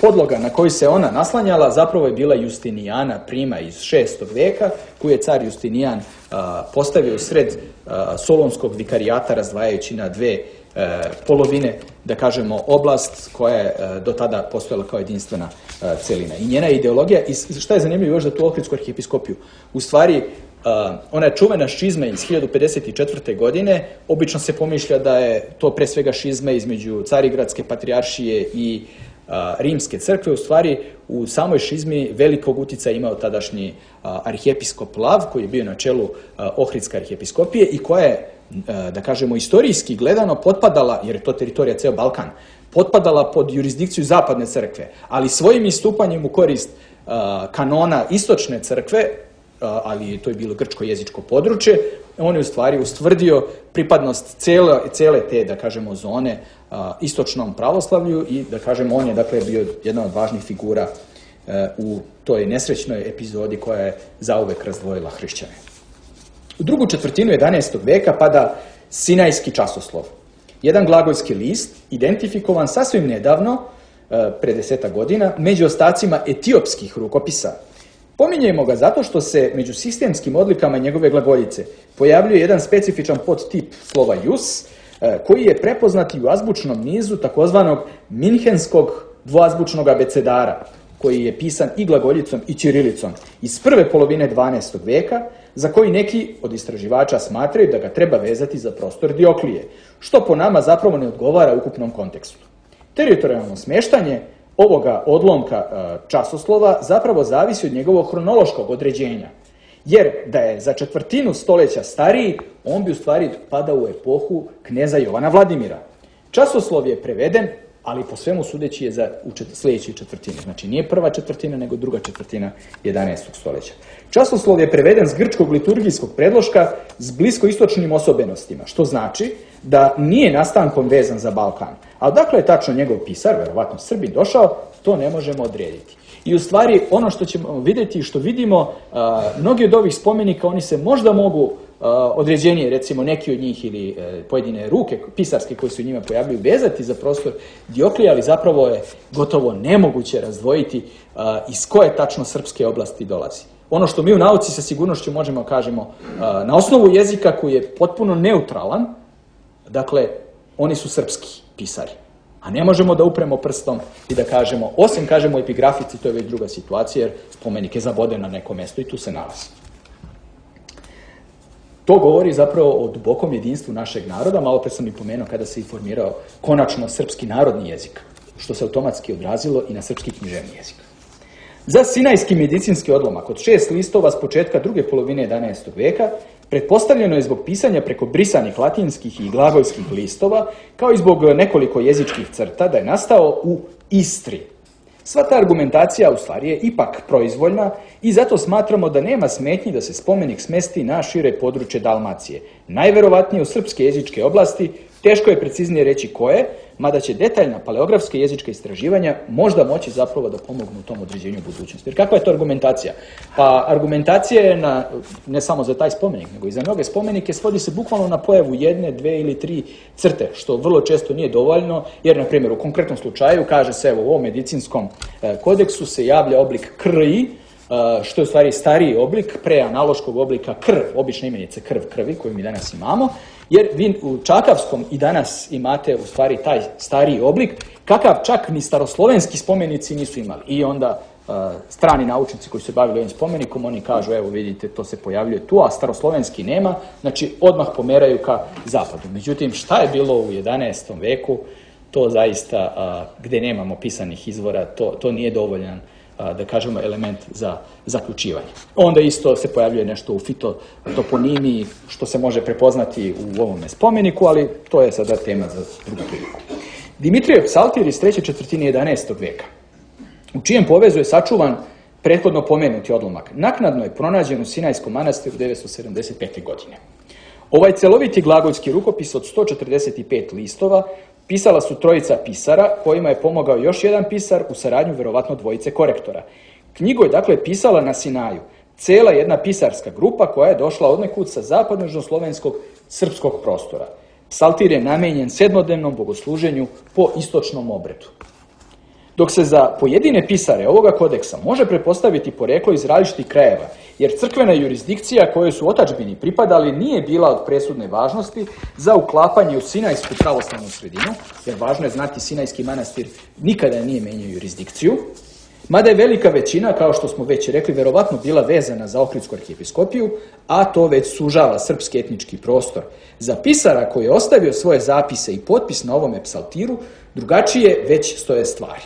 podloga na koju se ona naslanjala zapravo je bila Justinijana prima iz 6. veka, koju je car Justinijan postavio u sred solonskog vikarijata, razdvajajući na dve polovine, da kažemo, oblast koja je do tada postojala kao jedinstvena celina. I njena ideologija, i šta je zanimljivo još za tu Ohridsku arhijepiskopiju, u stvari ona je čuvena šizma iz 1054. godine, obično se pomišlja da je to pre svega šizma između Carigradske patrijaršije i Rimske crkve. U stvari, u samoj šizmi velikog uticaja imao tadašnji arhijepiskop Lav, koji je bio na čelu Ohridske arhijepiskopije i koja je, da kažemo, istorijski gledano potpadala, jer je to teritorija ceo Balkan, potpadala pod jurisdikciju Zapadne crkve, ali svojim istupanjem u korist kanona Istočne crkve, ali to je bilo grčko-jezičko područje, on je u stvari ustvrdio pripadnost cele te, da kažemo, zone istočnom pravoslavlju i, da kažemo, on je, dakle, bio jedna od važnih figura u toj nesrećnoj epizodi koja je zauvek razdvojila hrišćane. U drugu četvrtinu 11. veka pada Sinajski časoslov, jedan glagolski list identifikovan sasvim nedavno, pre 10 godina, među ostacima etiopskih rukopisa. Pominjemo ga zato što se među sistemskim odlikama njegove glagoljice pojavljuje jedan specifičan podtip slova jus, koji je prepoznat u azbučnom nizu takozvanog minhenskog dvoazbučnog abecedara, koji je pisan i glagoljicom i ćirilicom iz prve polovine 12. veka, za koji neki od istraživača smatraju da ga treba vezati za prostor Dioklije, što po nama zapravo ne odgovara ukupnom kontekstu. Teritorijalno smeštanje ovoga odlomka časoslova zapravo zavisi od njegovog hronološkog određenja, jer da je za četvrtinu stoljeća stariji, on bi u stvari padao u epohu kneza Jovana Vladimira. Časoslov je preveden, ali po svemu sudeći je u sljedećoj četvrtini. Znači nije prva četvrtina, nego druga četvrtina 11. stoljeća. Časoslov je preveden s grčkog liturgijskog predloška s bliskoistočnim osobenostima, što znači da nije nastankom vezan za Balkan. A odakle je tačno njegov pisar, verovatno Srbin, došao, to ne možemo odrediti. I u stvari ono što ćemo vidjeti i što vidimo, mnogi od ovih spomenika, oni se možda mogu određenije, recimo neki od njih ili pojedine ruke pisarske koje se u njima pojavljuju, vezati za prostor Dioklija, ali zapravo je gotovo nemoguće razdvojiti iz koje tačno srpske oblasti dolazi. Ono što mi u nauci sa sigurnošću možemo kažemo na osnovu jezika koji je potpuno neutralan, dakle, oni su srpski pisari. A ne možemo da upremo prstom i da kažemo, osim kažemo epigrafici, to je već druga situacija, jer spomenik je zaboden na neko mesto i tu se nalazi. To govori zapravo o dubokom jedinstvu našeg naroda, malo pre sam i pomenuo kada se i formirao konačno srpski narodni jezik, što se automatski odrazilo i na srpski književni jezik. Za sinajski medicinski odlomak od 6 listova s početka druge polovine 11. veka pretpostavljeno je zbog pisanja preko brisanih latinskih i glagolskih listova, kao i zbog nekoliko jezičkih crta, da je nastao u Istri. Sva ta argumentacija u stvari je ipak proizvoljna i zato smatramo da nema smetnji da se spomenik smesti na šire područje Dalmacije. Najverovatnije u srpske jezičke oblasti, teško je preciznije reći koje, mada će detaljna paleografska jezička istraživanja možda moći zapravo da pomognu u tom određenju budućnosti. Jer kakva je to argumentacija? Pa argumentacija je ne samo za taj spomenik, nego i za mnoge spomenike svodi se bukvalno na pojavu 1, 2 ili 3 crte, što vrlo često nije dovoljno, jer, na primjer, u konkretnom slučaju kaže se, evo, u ovom medicinskom kodeksu se javlja oblik KRI, što je u stvari stariji oblik, preanaloškog oblika krv, obična imenica krv krvi, koju mi danas imamo, jer vi u čakavskom i danas imate u stvari taj stariji oblik, kakav čak ni staroslovenski spomenici nisu imali. I onda strani naučnici koji se bavili ovim spomenikom, oni kažu, evo vidite, to se pojavljuje tu, a staroslovenski nema, znači odmah pomeraju ka zapadu. Međutim, šta je bilo u 11. veku, to zaista, gde nemamo pisanih izvora, to nije dovoljan, da kažemo, element za zaključivanje. Onda isto se pojavljuje nešto u fitotoponimiji, što se može prepoznati u ovome spomeniku, ali to je sada tema za drugu priliku. Dimitrijev psaltir iz 3. četvrtine 11. veka, u čijem povezu je sačuvan prethodno pomenuti odlomak. Naknadno je pronađen u Sinajskom manastiru 975. godine. Ovaj celoviti glagolski rukopis od 145 listova pisala su trojica pisara, kojima je pomogao još jedan pisar u saradnju verovatno dvojice korektora. Knjigu je dakle pisala na Sinaju cela jedna pisarska grupa koja je došla odnekud sa zapadnožnoslovenskog srpskog prostora. Psaltir je namenjen sedmodnevnom bogosluženju po istočnom obredu. Dok se za pojedine pisare ovoga kodeksa može pretpostaviti poreklo iz različitih krajeva, jer crkvena jurisdikcija kojoj su otadžbini pripadali nije bila od presudne važnosti za uklapanje u sinajsku pravoslavnu sredinu, jer važno je znati Sinajski manastir nikada nije menjao jurisdikciju, mada je velika većina, kao što smo već rekli, verovatno bila vezana za Ohridsku arhijepiskopiju, a to već sužava srpski etnički prostor. Za pisara koji je ostavio svoje zapise i potpis na ovome psaltiru, drugačije već stoje stvari.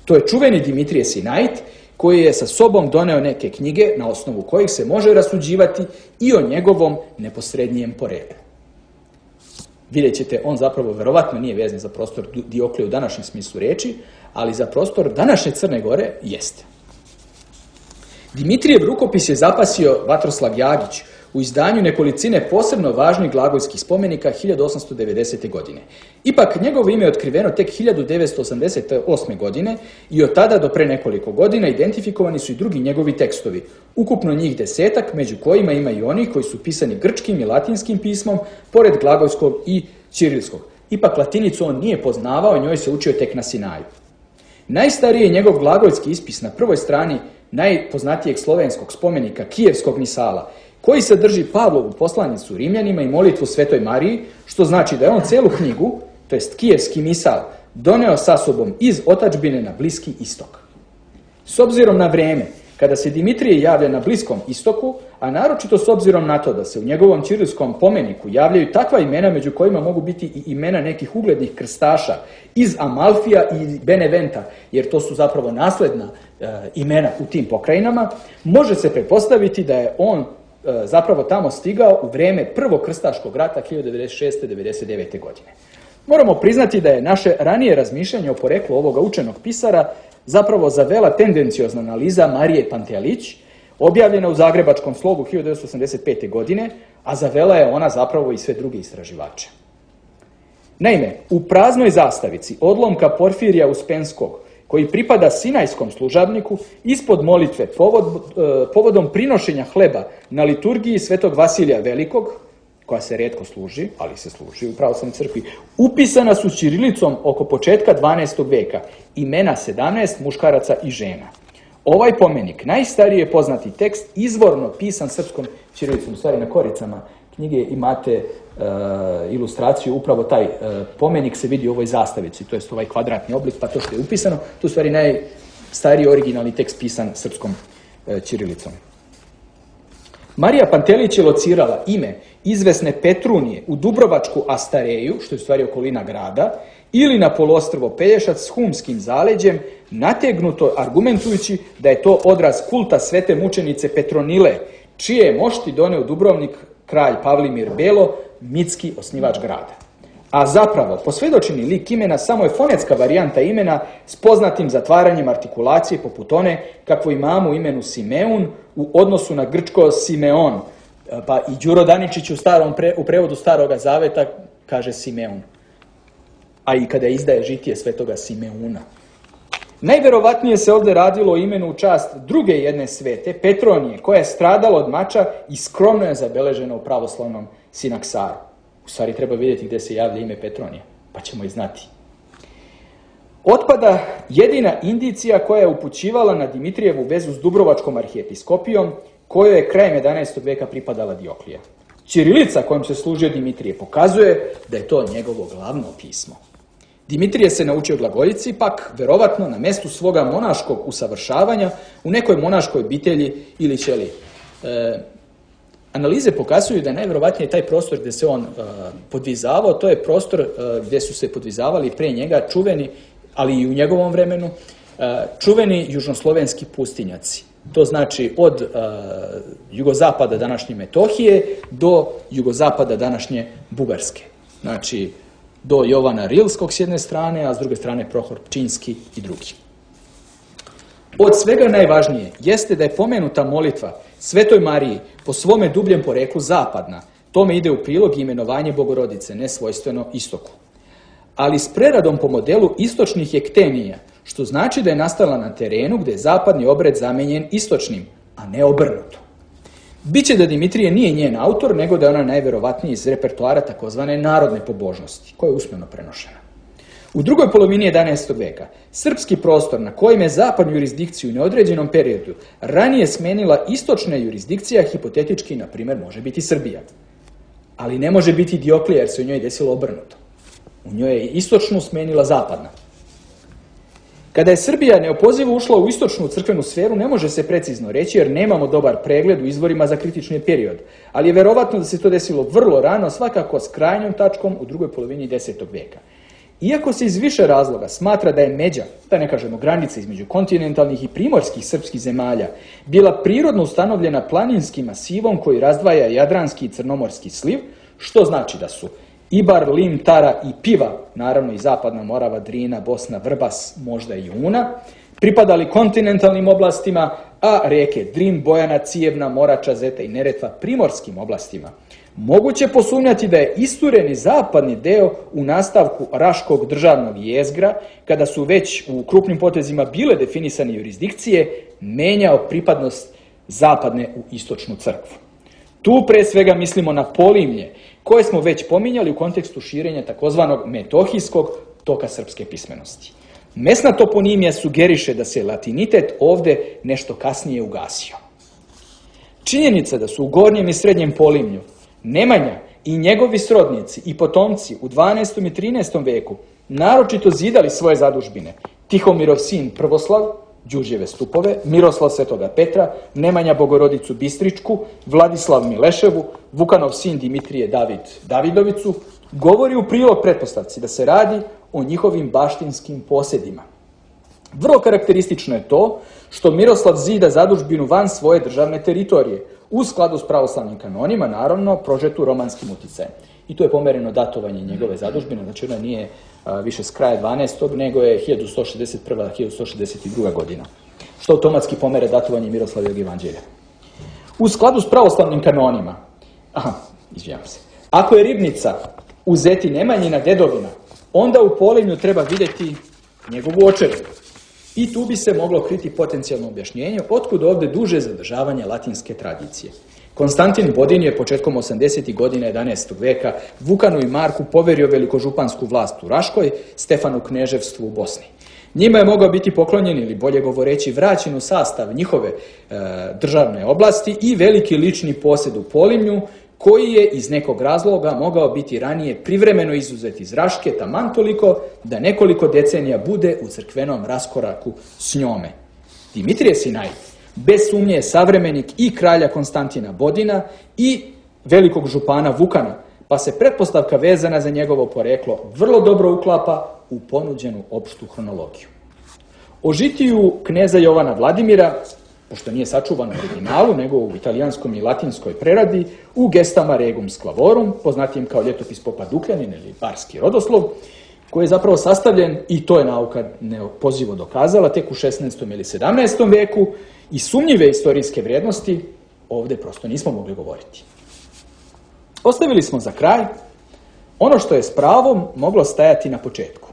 To je čuveni Dimitrije Sinajt, koji je sa sobom doneo neke knjige na osnovu kojih se može rasuđivati i o njegovom neposrednijem poreklu. Vidjet ćete, on zapravo verovatno nije vezan za prostor Dioklije u današnjem smislu reči, ali za prostor današnje Crne Gore jeste. Dimitrijev rukopis je zapasio Vatroslav Jagić u izdanju nekolicine posebno važnih glagolskih spomenika 1890. godine. Ipak, njegovo ime je otkriveno tek 1988. godine i od tada do pre nekoliko godina identifikovani su i drugi njegovi tekstovi. Ukupno njih 10, među kojima ima i oni koji su pisani grčkim i latinskim pismom, pored glagolskog i ćirilskog. Ipak, latinicu on nije poznavao, njoj se učio tek na Sinaju. Najstariji je njegov glagolski ispis na prvoj strani najpoznatijeg slovenskog spomenika Kijevskog misala, koji sadrži Pavlovu poslanicu Rimljanima i molitvu Svetoj Mariji, što znači da je on celu knjigu, to jest Kijevski misal, doneo sa sobom iz otadžbine na Bliski istok. S obzirom na vreme, kada se Dimitrije javlja na Bliskom istoku, a naročito s obzirom na to da se u njegovom ćirilskom pomeniku javljaju takva imena među kojima mogu biti i imena nekih uglednih krstaša iz Amalfija i Beneventa, jer to su zapravo nasledna imena u tim pokrajinama, može se pretpostaviti da je on zapravo tamo stigao u vreme Prvog krstaškog rata 1996-1999. godine. Moramo priznati da je naše ranije razmišljanje o poreklu ovoga učenog pisara zapravo zavela tendenciozna analiza Marije Pantealić, objavljena u Zagrebačkom slogu 1985. godine, a zavela je ona zapravo i sve druge istraživače. Naime, u praznoj zastavici odlomka Porfirija Uspenskog, koji pripada Sinajskom služabniku, ispod molitve povodom prinošenja hleba na liturgiji Svetog Vasilija Velikog, koja se retko služi, ali se služi u pravoslavnoj crkvi, upisana su ćirilicom oko početka 12. veka, imena 17 muškaraca i žena. Ovaj pomenik, najstariji je poznati tekst, izvorno pisan srpskom ćirilicom, u stvari na koricama knjige imate ilustraciju, upravo taj pomenik se vidi u ovoj zastavici, to je ovaj kvadratni oblik, pa to što je upisano, to je u stvari najstariji originalni tekst pisan srpskom ćirilicom. Marija Pantelić je locirala ime izvesne Petrunije u Dubrovačku Astareju, što je u stvari okolina grada, ili na poluostrvo Pelješac s humskim zaleđem, nategnuto argumentujući da je to odraz kulta svete mučenice Petronile, čije je mošti doneo Dubrovnik kralj Pavlimir Belo, mitski osnivač grada. A zapravo, posvjedočeni lik imena samo je fonetska varijanta imena s poznatim zatvaranjem artikulacije poput one kakvu imamo u imenu Simeun u odnosu na grčko Simeon. Pa i Đuro Daničić u prevodu Staroga Zaveta kaže Simeun. A i kada izdaje žitije svetoga Simeuna. Najverovatnije se ovdje radilo o imenu u čast druge jedne svete, Petronije, koja je stradala od mača i skromno je zabeležena u pravoslavnom sinaksaru. U stvari treba vidjeti gdje se javlja ime Petronije, pa ćemo i znati. Otpada jedina indicija koja je upućivala na Dimitrijevu vezu s Dubrovačkom arhijepiskopijom, kojoj je krajem 11. veka pripadala Dioklija. Ćirilica kojom se služio Dimitrije pokazuje da je to njegovo glavno pismo. Dimitrije se naučio glagoljici, pak verovatno na mjestu svoga monaškog usavršavanja u nekoj monaškoj obitelji ili ćeliji. Analize pokazuju da je najvjerovatnije taj prostor gdje se on podvizavao, to je prostor gdje su se podvizavali pre njega čuveni, ali i u njegovom vremenu, čuveni južnoslovenski pustinjaci. To znači od jugozapada današnje Metohije do jugozapada današnje Bugarske. Znači do Jovana Rilskog s jedne strane, a s druge strane Prohor Pčinjski i drugi. Od svega najvažnije jeste da je pomenuta molitva Svetoj Mariji po svome dubljem poreklu zapadna. Tome ide u prilog i imenovanje Bogorodice, nesvojstveno istoku. Ali s preradom po modelu istočnih ektenija, što znači da je nastala na terenu gdje je zapadni obred zamenjen istočnim, a ne obrnuto. Biće da Dimitrije nije njen autor, nego da je ona najverovatnije iz repertoara takozvane narodne pobožnosti, koja je usmeno prenošena. U drugoj polovini 11. veka, srpski prostor na kojem je zapadnu jurisdikciju u neodređenom periodu ranije smenila istočna jurisdikcija, hipotetički, na primjer, može biti Srbija. Ali ne može biti Dioklija, jer se u njoj desilo obrnuto. U njoj je istočnu smenila zapadna. Kada je Srbija neopozivo ušla u istočnu crkvenu sferu, ne može se precizno reći jer nemamo dobar pregled u izvorima za kritični period, ali je verovatno da se to desilo vrlo rano, svakako s krajnjom tačkom u drugoj polovini 10. veka. Iako se iz više razloga smatra da je međa, da ne kažemo granica između kontinentalnih i primorskih srpskih zemalja, bila prirodno ustanovljena planinskim masivom koji razdvaja Jadranski i Crnomorski sliv, što znači da su Ibar, Lim, Tara i Piva, naravno i zapadna Morava, Drina, Bosna, Vrbas, možda i Una, pripadali kontinentalnim oblastima, a rijeke Drin, Bojana, Cijevna, Morača, Zeta i Neretva primorskim oblastima. Moguće posumnjati da je istureni zapadni deo u nastavku Raškog državnog jezgra, kada su već u krupnim potezima bile definisane jurisdikcije, menjao pripadnost zapadne u istočnu crkvu. Tu pre svega mislimo na Polimlje, koje smo već pominjali u kontekstu širenja takozvanog metohijskog toka srpske pismenosti. Mesna toponimija sugeriše da se latinitet ovdje nešto kasnije ugasio. Činjenica da su u gornjem i srednjem Polimlju Nemanja i njegovi srodnici i potomci u 12. i 13. veku naročito zidali svoje zadužbine. Tihomirov sin Prvoslav, Đurđeve stupove, Miroslav Svetoga Petra, Nemanja Bogorodicu Bistričku, Vladislav Mileševu, Vukanov sin Dimitrije David Davidovicu, govori u prilog pretpostavci da se radi o njihovim baštinskim posjedima. Vrlo karakteristično je to što Miroslav zida zadužbinu van svoje državne teritorije, u skladu s pravoslavnim kanonima, naravno, prožetu romanskim uticajem. I to je pomereno datovanje njegove zadužbine, znači ona nije više s kraja 12. nego je 1161-1162. godina, što automatski pomere datovanje Miroslavljevog evanđelja. U skladu s pravoslavnim kanonima, ako je Ribnica u Zeti Nemanjina dedovina, onda u Polimlju treba vidjeti njegovu očevinu. I tu bi se moglo kriti potencijalno objašnjenje otkud ovdje duže zadržavanje latinske tradicije. Konstantin Bodin je početkom 80. godina 11. veka Vukanu i Marku poverio velikožupansku vlast u Raškoj, Stefanu kneževstvu u Bosni. Njima je mogao biti poklonjen ili bolje govoreći vraćen u sastav njihove državne oblasti i veliki lični posjed u Polimlju koji je iz nekog razloga mogao biti ranije privremeno izuzet iz Raške taman toliko da nekoliko decenija bude u crkvenom raskoraku s njome. Dimitrije Sinaj bez sumnje je savremenik i kralja Konstantina Bodina i velikog župana Vukana, pa se pretpostavka vezana za njegovo poreklo vrlo dobro uklapa u ponuđenu opštu hronologiju. O žitiju kneza Jovana Vladimira, pošto nije sačuvan u originalu, nego u italijanskom i latinskoj preradi, u Gestama Regum Sclavorum, poznatijem kao ljetopis popa Dukljanin ili barski rodoslov, koji je zapravo sastavljen, i to je nauka neopozivo dokazala, tek u 16. ili 17. veku, i sumnjive istorijske vrijednosti ovdje prosto nismo mogli govoriti. Ostavili smo za kraj ono što je s pravom moglo stajati na početku.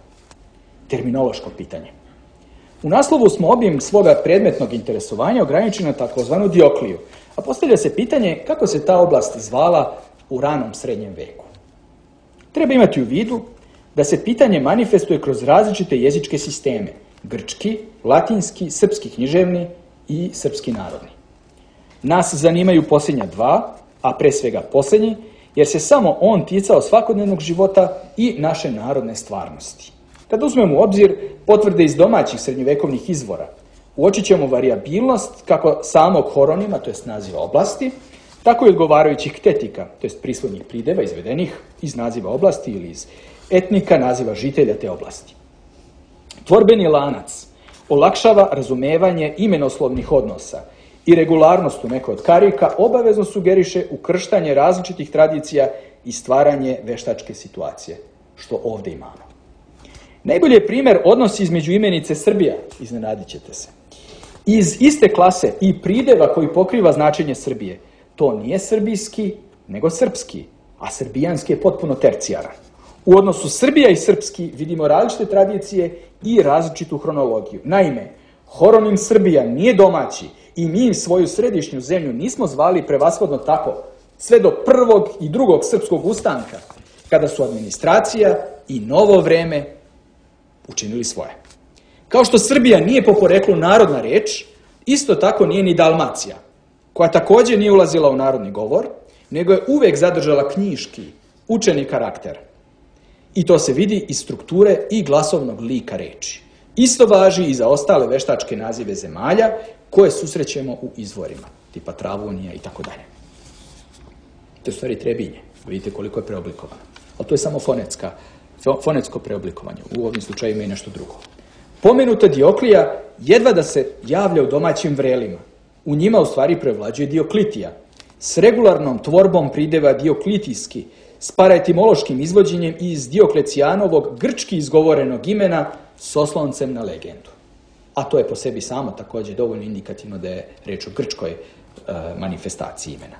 Terminološko pitanje. U naslovu smo obim svoga predmetnog interesovanja ograničili na takozvanu Diokliju, a postavlja se pitanje kako se ta oblast zvala u ranom srednjem veku. Treba imati u vidu da se pitanje manifestuje kroz različite jezičke sisteme, grčki, latinski, srpski književni i srpski narodni. Nas zanimaju posljednja dva, a pre svega posljednji, jer se samo on ticao svakodnevnog života i naše narodne stvarnosti. Kad uzmemo u obzir potvrde iz domaćih srednjovekovnih izvora, uočit ćemo varijabilnost kako samog horonima, to jest naziva oblasti, tako i odgovarajućih ktetika, to jest prisvodnih prideva izvedenih iz naziva oblasti ili iz etnika naziva žitelja te oblasti. Tvorbeni lanac olakšava razumevanje imenoslovnih odnosa i regularnost u nekoj od karika obavezno sugeriše ukrštanje različitih tradicija i stvaranje veštačke situacije, što ovdje imamo. Najbolji je primjer odnos između imenice Srbija, iznenadit ćete se. Iz iste klase i prideva koji pokriva značenje Srbije, to nije srbijski, nego srpski, a srbijanski je potpuno tercijaran. U odnosu Srbija i srpski vidimo različite tradicije i različitu hronologiju. Naime, horonim Srbija nije domaći i mi svoju središnju zemlju nismo zvali prevashodno tako, sve do prvog i drugog srpskog ustanka, kada su administracija i novo vreme učinili svoje. Kao što Srbija nije po poreklu narodna reč, isto tako nije ni Dalmacija, koja također nije ulazila u narodni govor, nego je uvek zadržala knjiški, učeni karakter. I to se vidi iz strukture i glasovnog lika reči. Isto važi i za ostale veštačke nazive zemalja koje susrećemo u izvorima, tipa Travunija i tako dalje. To je u stvari Trebinje, vidite koliko je preoblikovano. Ali to je samo fonetsko preoblikovanje, u ovim slučajima i nešto drugo. Pomenuta Dioklija jedva da se javlja u domaćim vrelima. U njima u stvari prevlađuje Dioklitija, s regularnom tvorbom prideva dioklitijski, s paraetimološkim izvođenjem iz Dioklecijanovog grčki izgovorenog imena s osloncem na legendu. A to je po sebi samo također dovoljno indikativno da je reč o grčkoj manifestaciji imena.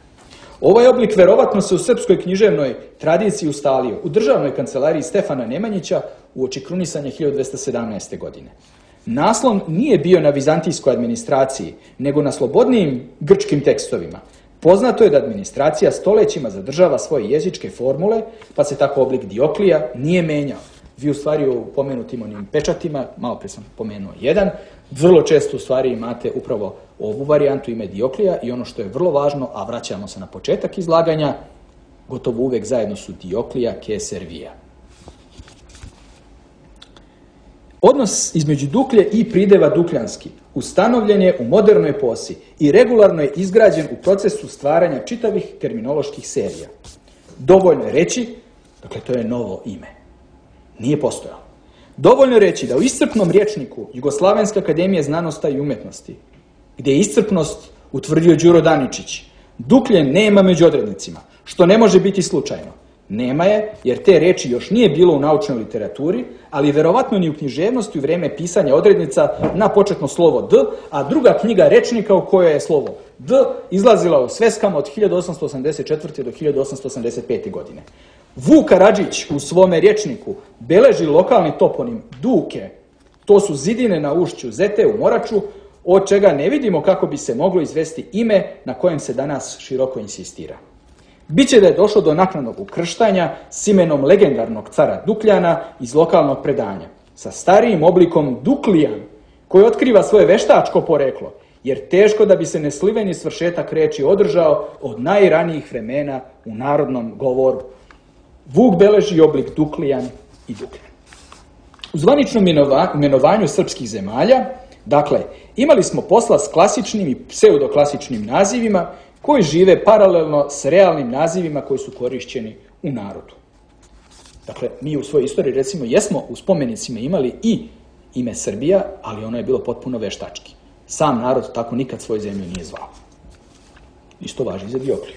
Ovaj oblik verovatno se u srpskoj književnoj tradiciji ustalio u državnoj kancelariji Stefana Nemanjića uoči krunisanja 1217. godine. Naslon nije bio na vizantijskoj administraciji, nego na slobodnijim grčkim tekstovima. Poznato je da administracija stolećima zadržava svoje jezičke formule, pa se tako oblik Dioklija nije menjao. Vi u stvari u pomenutim onim pečatima, malo prije sam pomenuo jedan, vrlo često u stvari imate upravo ovu varijantu ime Dioklija i ono što je vrlo važno, a vraćamo se na početak izlaganja, gotovo uvek zajedno su Dioklija ke Servija. Odnos između Duklje i prideva dukljanski ustanovljen je u modernoj eposi i regularno je izgrađen u procesu stvaranja čitavih terminoloških serija. Dovoljno je reći, dakle to je novo ime. Nije postojalo. Dovoljno je reći da u iscrpnom rječniku Jugoslavenske akademije znanosti i umetnosti, gdje je iscrpnost utvrdio Đuro Daničić, Duklje nema među odrednicima, što ne može biti slučajno. Nema je, jer te reči još nije bilo u naučnoj literaturi, ali verovatno ni u književnosti u vrijeme pisanja odrednica na početno slovo D, a druga knjiga rečnika u kojoj je slovo D izlazila u sveskama od 1884. do 1885. godine. Vuk Karadžić u svome rječniku beleži lokalni toponim Duke, to su zidine na ušću Zete u Moraču, od čega ne vidimo kako bi se moglo izvesti ime na kojem se danas široko insistira. Biće da je došlo do naknadnog ukrštanja s imenom legendarnog cara Dukljana iz lokalnog predanja, sa starijim oblikom Duklijan, koji otkriva svoje veštačko poreklo jer teško da bi se nesliveni svršetak riječi održao od najranijih vremena u narodnom govoru. Vuk beleži oblik Duklijan i Dukljan. U zvaničnom imenovanju srpskih zemalja, dakle, imali smo posla s klasičnim i pseudoklasičnim nazivima koji žive paralelno s realnim nazivima koji su korišćeni u narodu. Dakle, mi u svojoj istoriji, recimo, jesmo u spomenicima imali i ime Srbija, ali ono je bilo potpuno veštački. Sam narod tako nikad svoju zemlju nije zvao. Isto važi za Diokliju.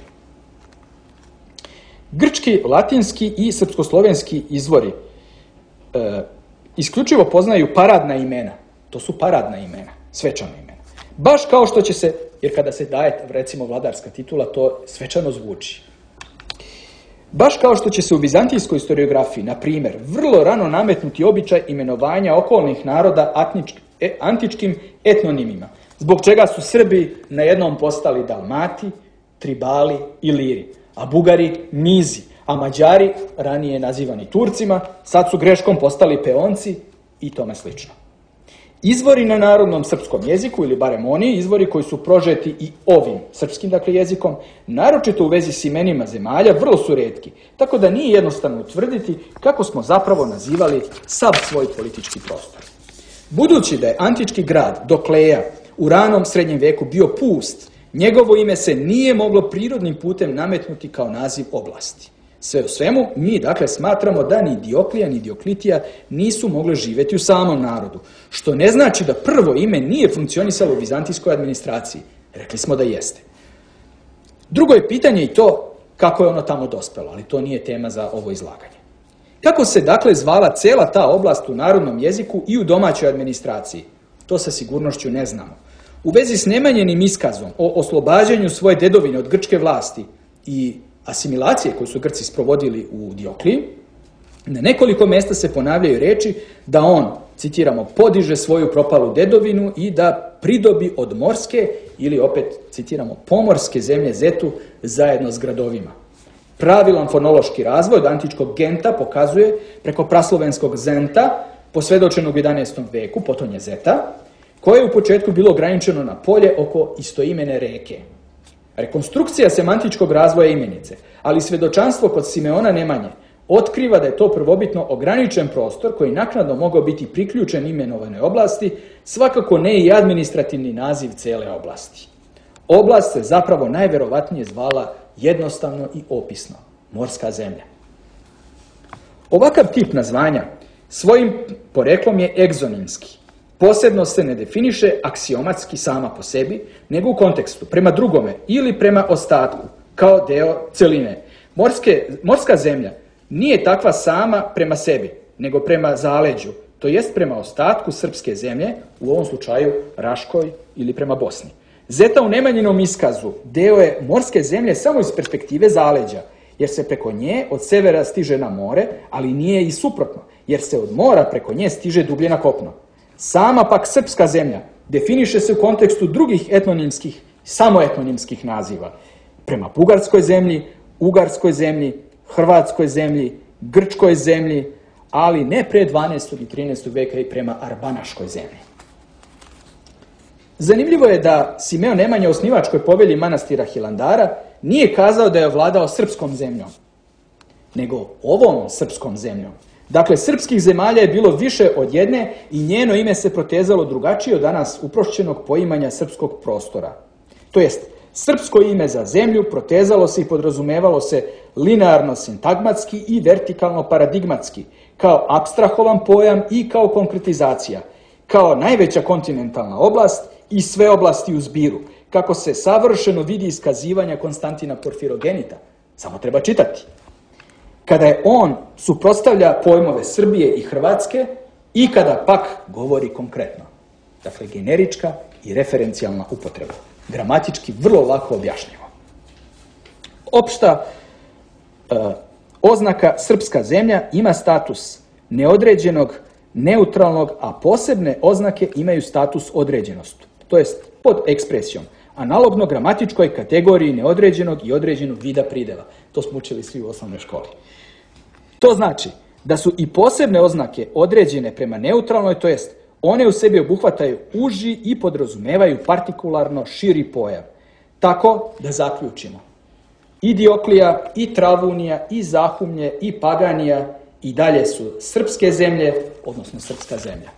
Grčki, latinski i srpskoslovenski izvori isključivo poznaju paradna imena. To su paradna imena, svečana imena. Baš kao što će se, jer kada se daje, recimo, vladarska titula, to svečano zvuči. Baš kao što će se u vizantijskoj historiografiji, na primjer, vrlo rano nametnuti običaj imenovanja okolnih naroda antičkim etnonimima, zbog čega su Srbi najednom postali Dalmati, Tribali i Liri, a Bugari Mizi, a Mađari, ranije nazivani Turcima, sad su greškom postali Peonci i tome slično. Izvori na narodnom srpskom jeziku, ili barem oni izvori koji su prožeti i ovim srpskim, dakle, jezikom, naročito u vezi s imenima zemalja, vrlo su retki, tako da nije jednostavno utvrditi kako smo zapravo nazivali sav svoj politički prostor. Budući da je antički grad Dokleja u ranom srednjem veku bio pust, njegovo ime se nije moglo prirodnim putem nametnuti kao naziv oblasti. Sve u svemu, mi dakle smatramo da ni Dioklija ni Dioklitija nisu mogle živjeti u samom narodu, što ne znači da prvo ime nije funkcionisalo u vizantijskoj administraciji. Rekli smo da jeste. Drugo je pitanje i to kako je ono tamo dospelo, ali to nije tema za ovo izlaganje. Kako se dakle zvala cela ta oblast u narodnom jeziku i u domaćoj administraciji? To sa sigurnošću ne znamo. U vezi s nemanjenim iskazom o oslobađanju svoje dedovine od grčke vlasti i asimilacije koju su Grci sprovodili u Diokliji, na nekoliko mjesta se ponavljaju reči da on, citiramo, podiže svoju propalu dedovinu i da pridobi od morske ili opet, citiramo, pomorske zemlje Zetu zajedno s gradovima. Pravilan fonološki razvoj od antičkog genta pokazuje preko praslovenskog zenta, posvjedočenog u 11. veku, potonje Zeta, koje je u početku bilo ograničeno na polje oko istoimene reke. Rekonstrukcija semantičkog razvoja imenice, ali svjedočanstvo kod Simeona Nemanje otkriva da je to prvobitno ograničen prostor koji naknadno mogao biti priključen imenovanoj oblasti, svakako ne i administrativni naziv cele oblasti. Oblast se zapravo najverovatnije zvala jednostavno i opisno, morska zemlja. Ovakav tip nazvanja svojim poreklom je egzonimski. Posebno se ne definiše aksiomatski sama po sebi, nego u kontekstu, prema drugome ili prema ostatku, kao deo celine. Morska zemlja nije takva sama prema sebi, nego prema zaleđu, to jest prema ostatku srpske zemlje, u ovom slučaju Raškoj ili prema Bosni. Zeta u Nemanjinom iskazu deo je morske zemlje samo iz perspektive zaleđa, jer se preko nje od severa stiže na more, ali nije i suprotno, jer se od mora preko nje stiže dublje na kopno. Sama pak srpska zemlja definiše se u kontekstu drugih etnonimskih, samoetnonimskih naziva. Prema bugarskoj zemlji, ugarskoj zemlji, hrvatskoj zemlji, grčkoj zemlji, ali ne pre 12. i 13. veka i prema arbanaškoj zemlji. Zanimljivo je da Simeon Nemanja u osnivačkoj povelji manastira Hilandara nije kazao da je vladao srpskom zemljom, nego ovom srpskom zemljom. Dakle, srpskih zemalja je bilo više od jedne i njeno ime se protezalo drugačije od danas uprošćenog poimanja srpskog prostora. To jest, srpsko ime za zemlju protezalo se i podrazumevalo se linearno-sintagmatski i vertikalno-paradigmatski, kao apstrahovan pojam i kao konkretizacija, kao najveća kontinentalna oblast i sve oblasti u zbiru, kako se savršeno vidi iskazivanja Konstantina Porfirogenita. Samo treba čitati. Kada je on suprotstavlja pojmove Srbije i Hrvatske i kada pak govori konkretno. Dakle, generička i referencijalna upotreba. Gramatički vrlo lako objašnjivo. Opšta oznaka srpska zemlja ima status neodređenog, neutralnog, a posebne oznake imaju status određenosti, to jest pod ekspresijom, analogno gramatičkoj kategoriji neodređenog i određenog vida prideva. To smo učili svi u osnovnoj školi. To znači da su i posebne oznake određene prema neutralnoj, to jest One u sebi obuhvataju uži i podrazumevaju partikularno širi pojam. Tako da zaključimo. I Dioklija, i Travunija, i Zahumlje, i Paganija i dalje su srpske zemlje, odnosno srpska zemlja.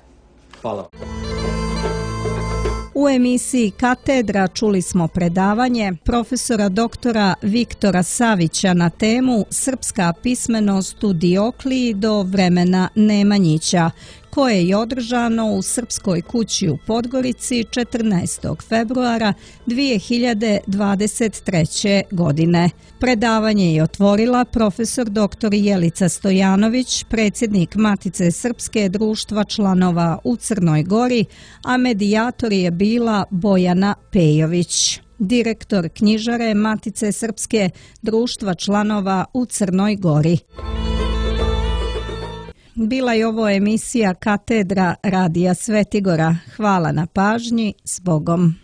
Hvala. U emisiji Katedra čuli smo predavanje profesora doktora Viktora Savića na temu Srpska pismenost u Diokliji do vremena Nemanjića, koje je održano u Srpskoj kući u Podgorici 14. februara 2023. godine. Predavanje je otvorila profesor dr. Jelica Stojanović, predsjednik Matice Srpske društva članova u Crnoj Gori, a medijator je bila Bojana Pejović, direktor knjižare Matice Srpske društva članova u Crnoj Gori. Bila je ovo emisija Katedra Radija Svetigora. Hvala na pažnji, s Bogom.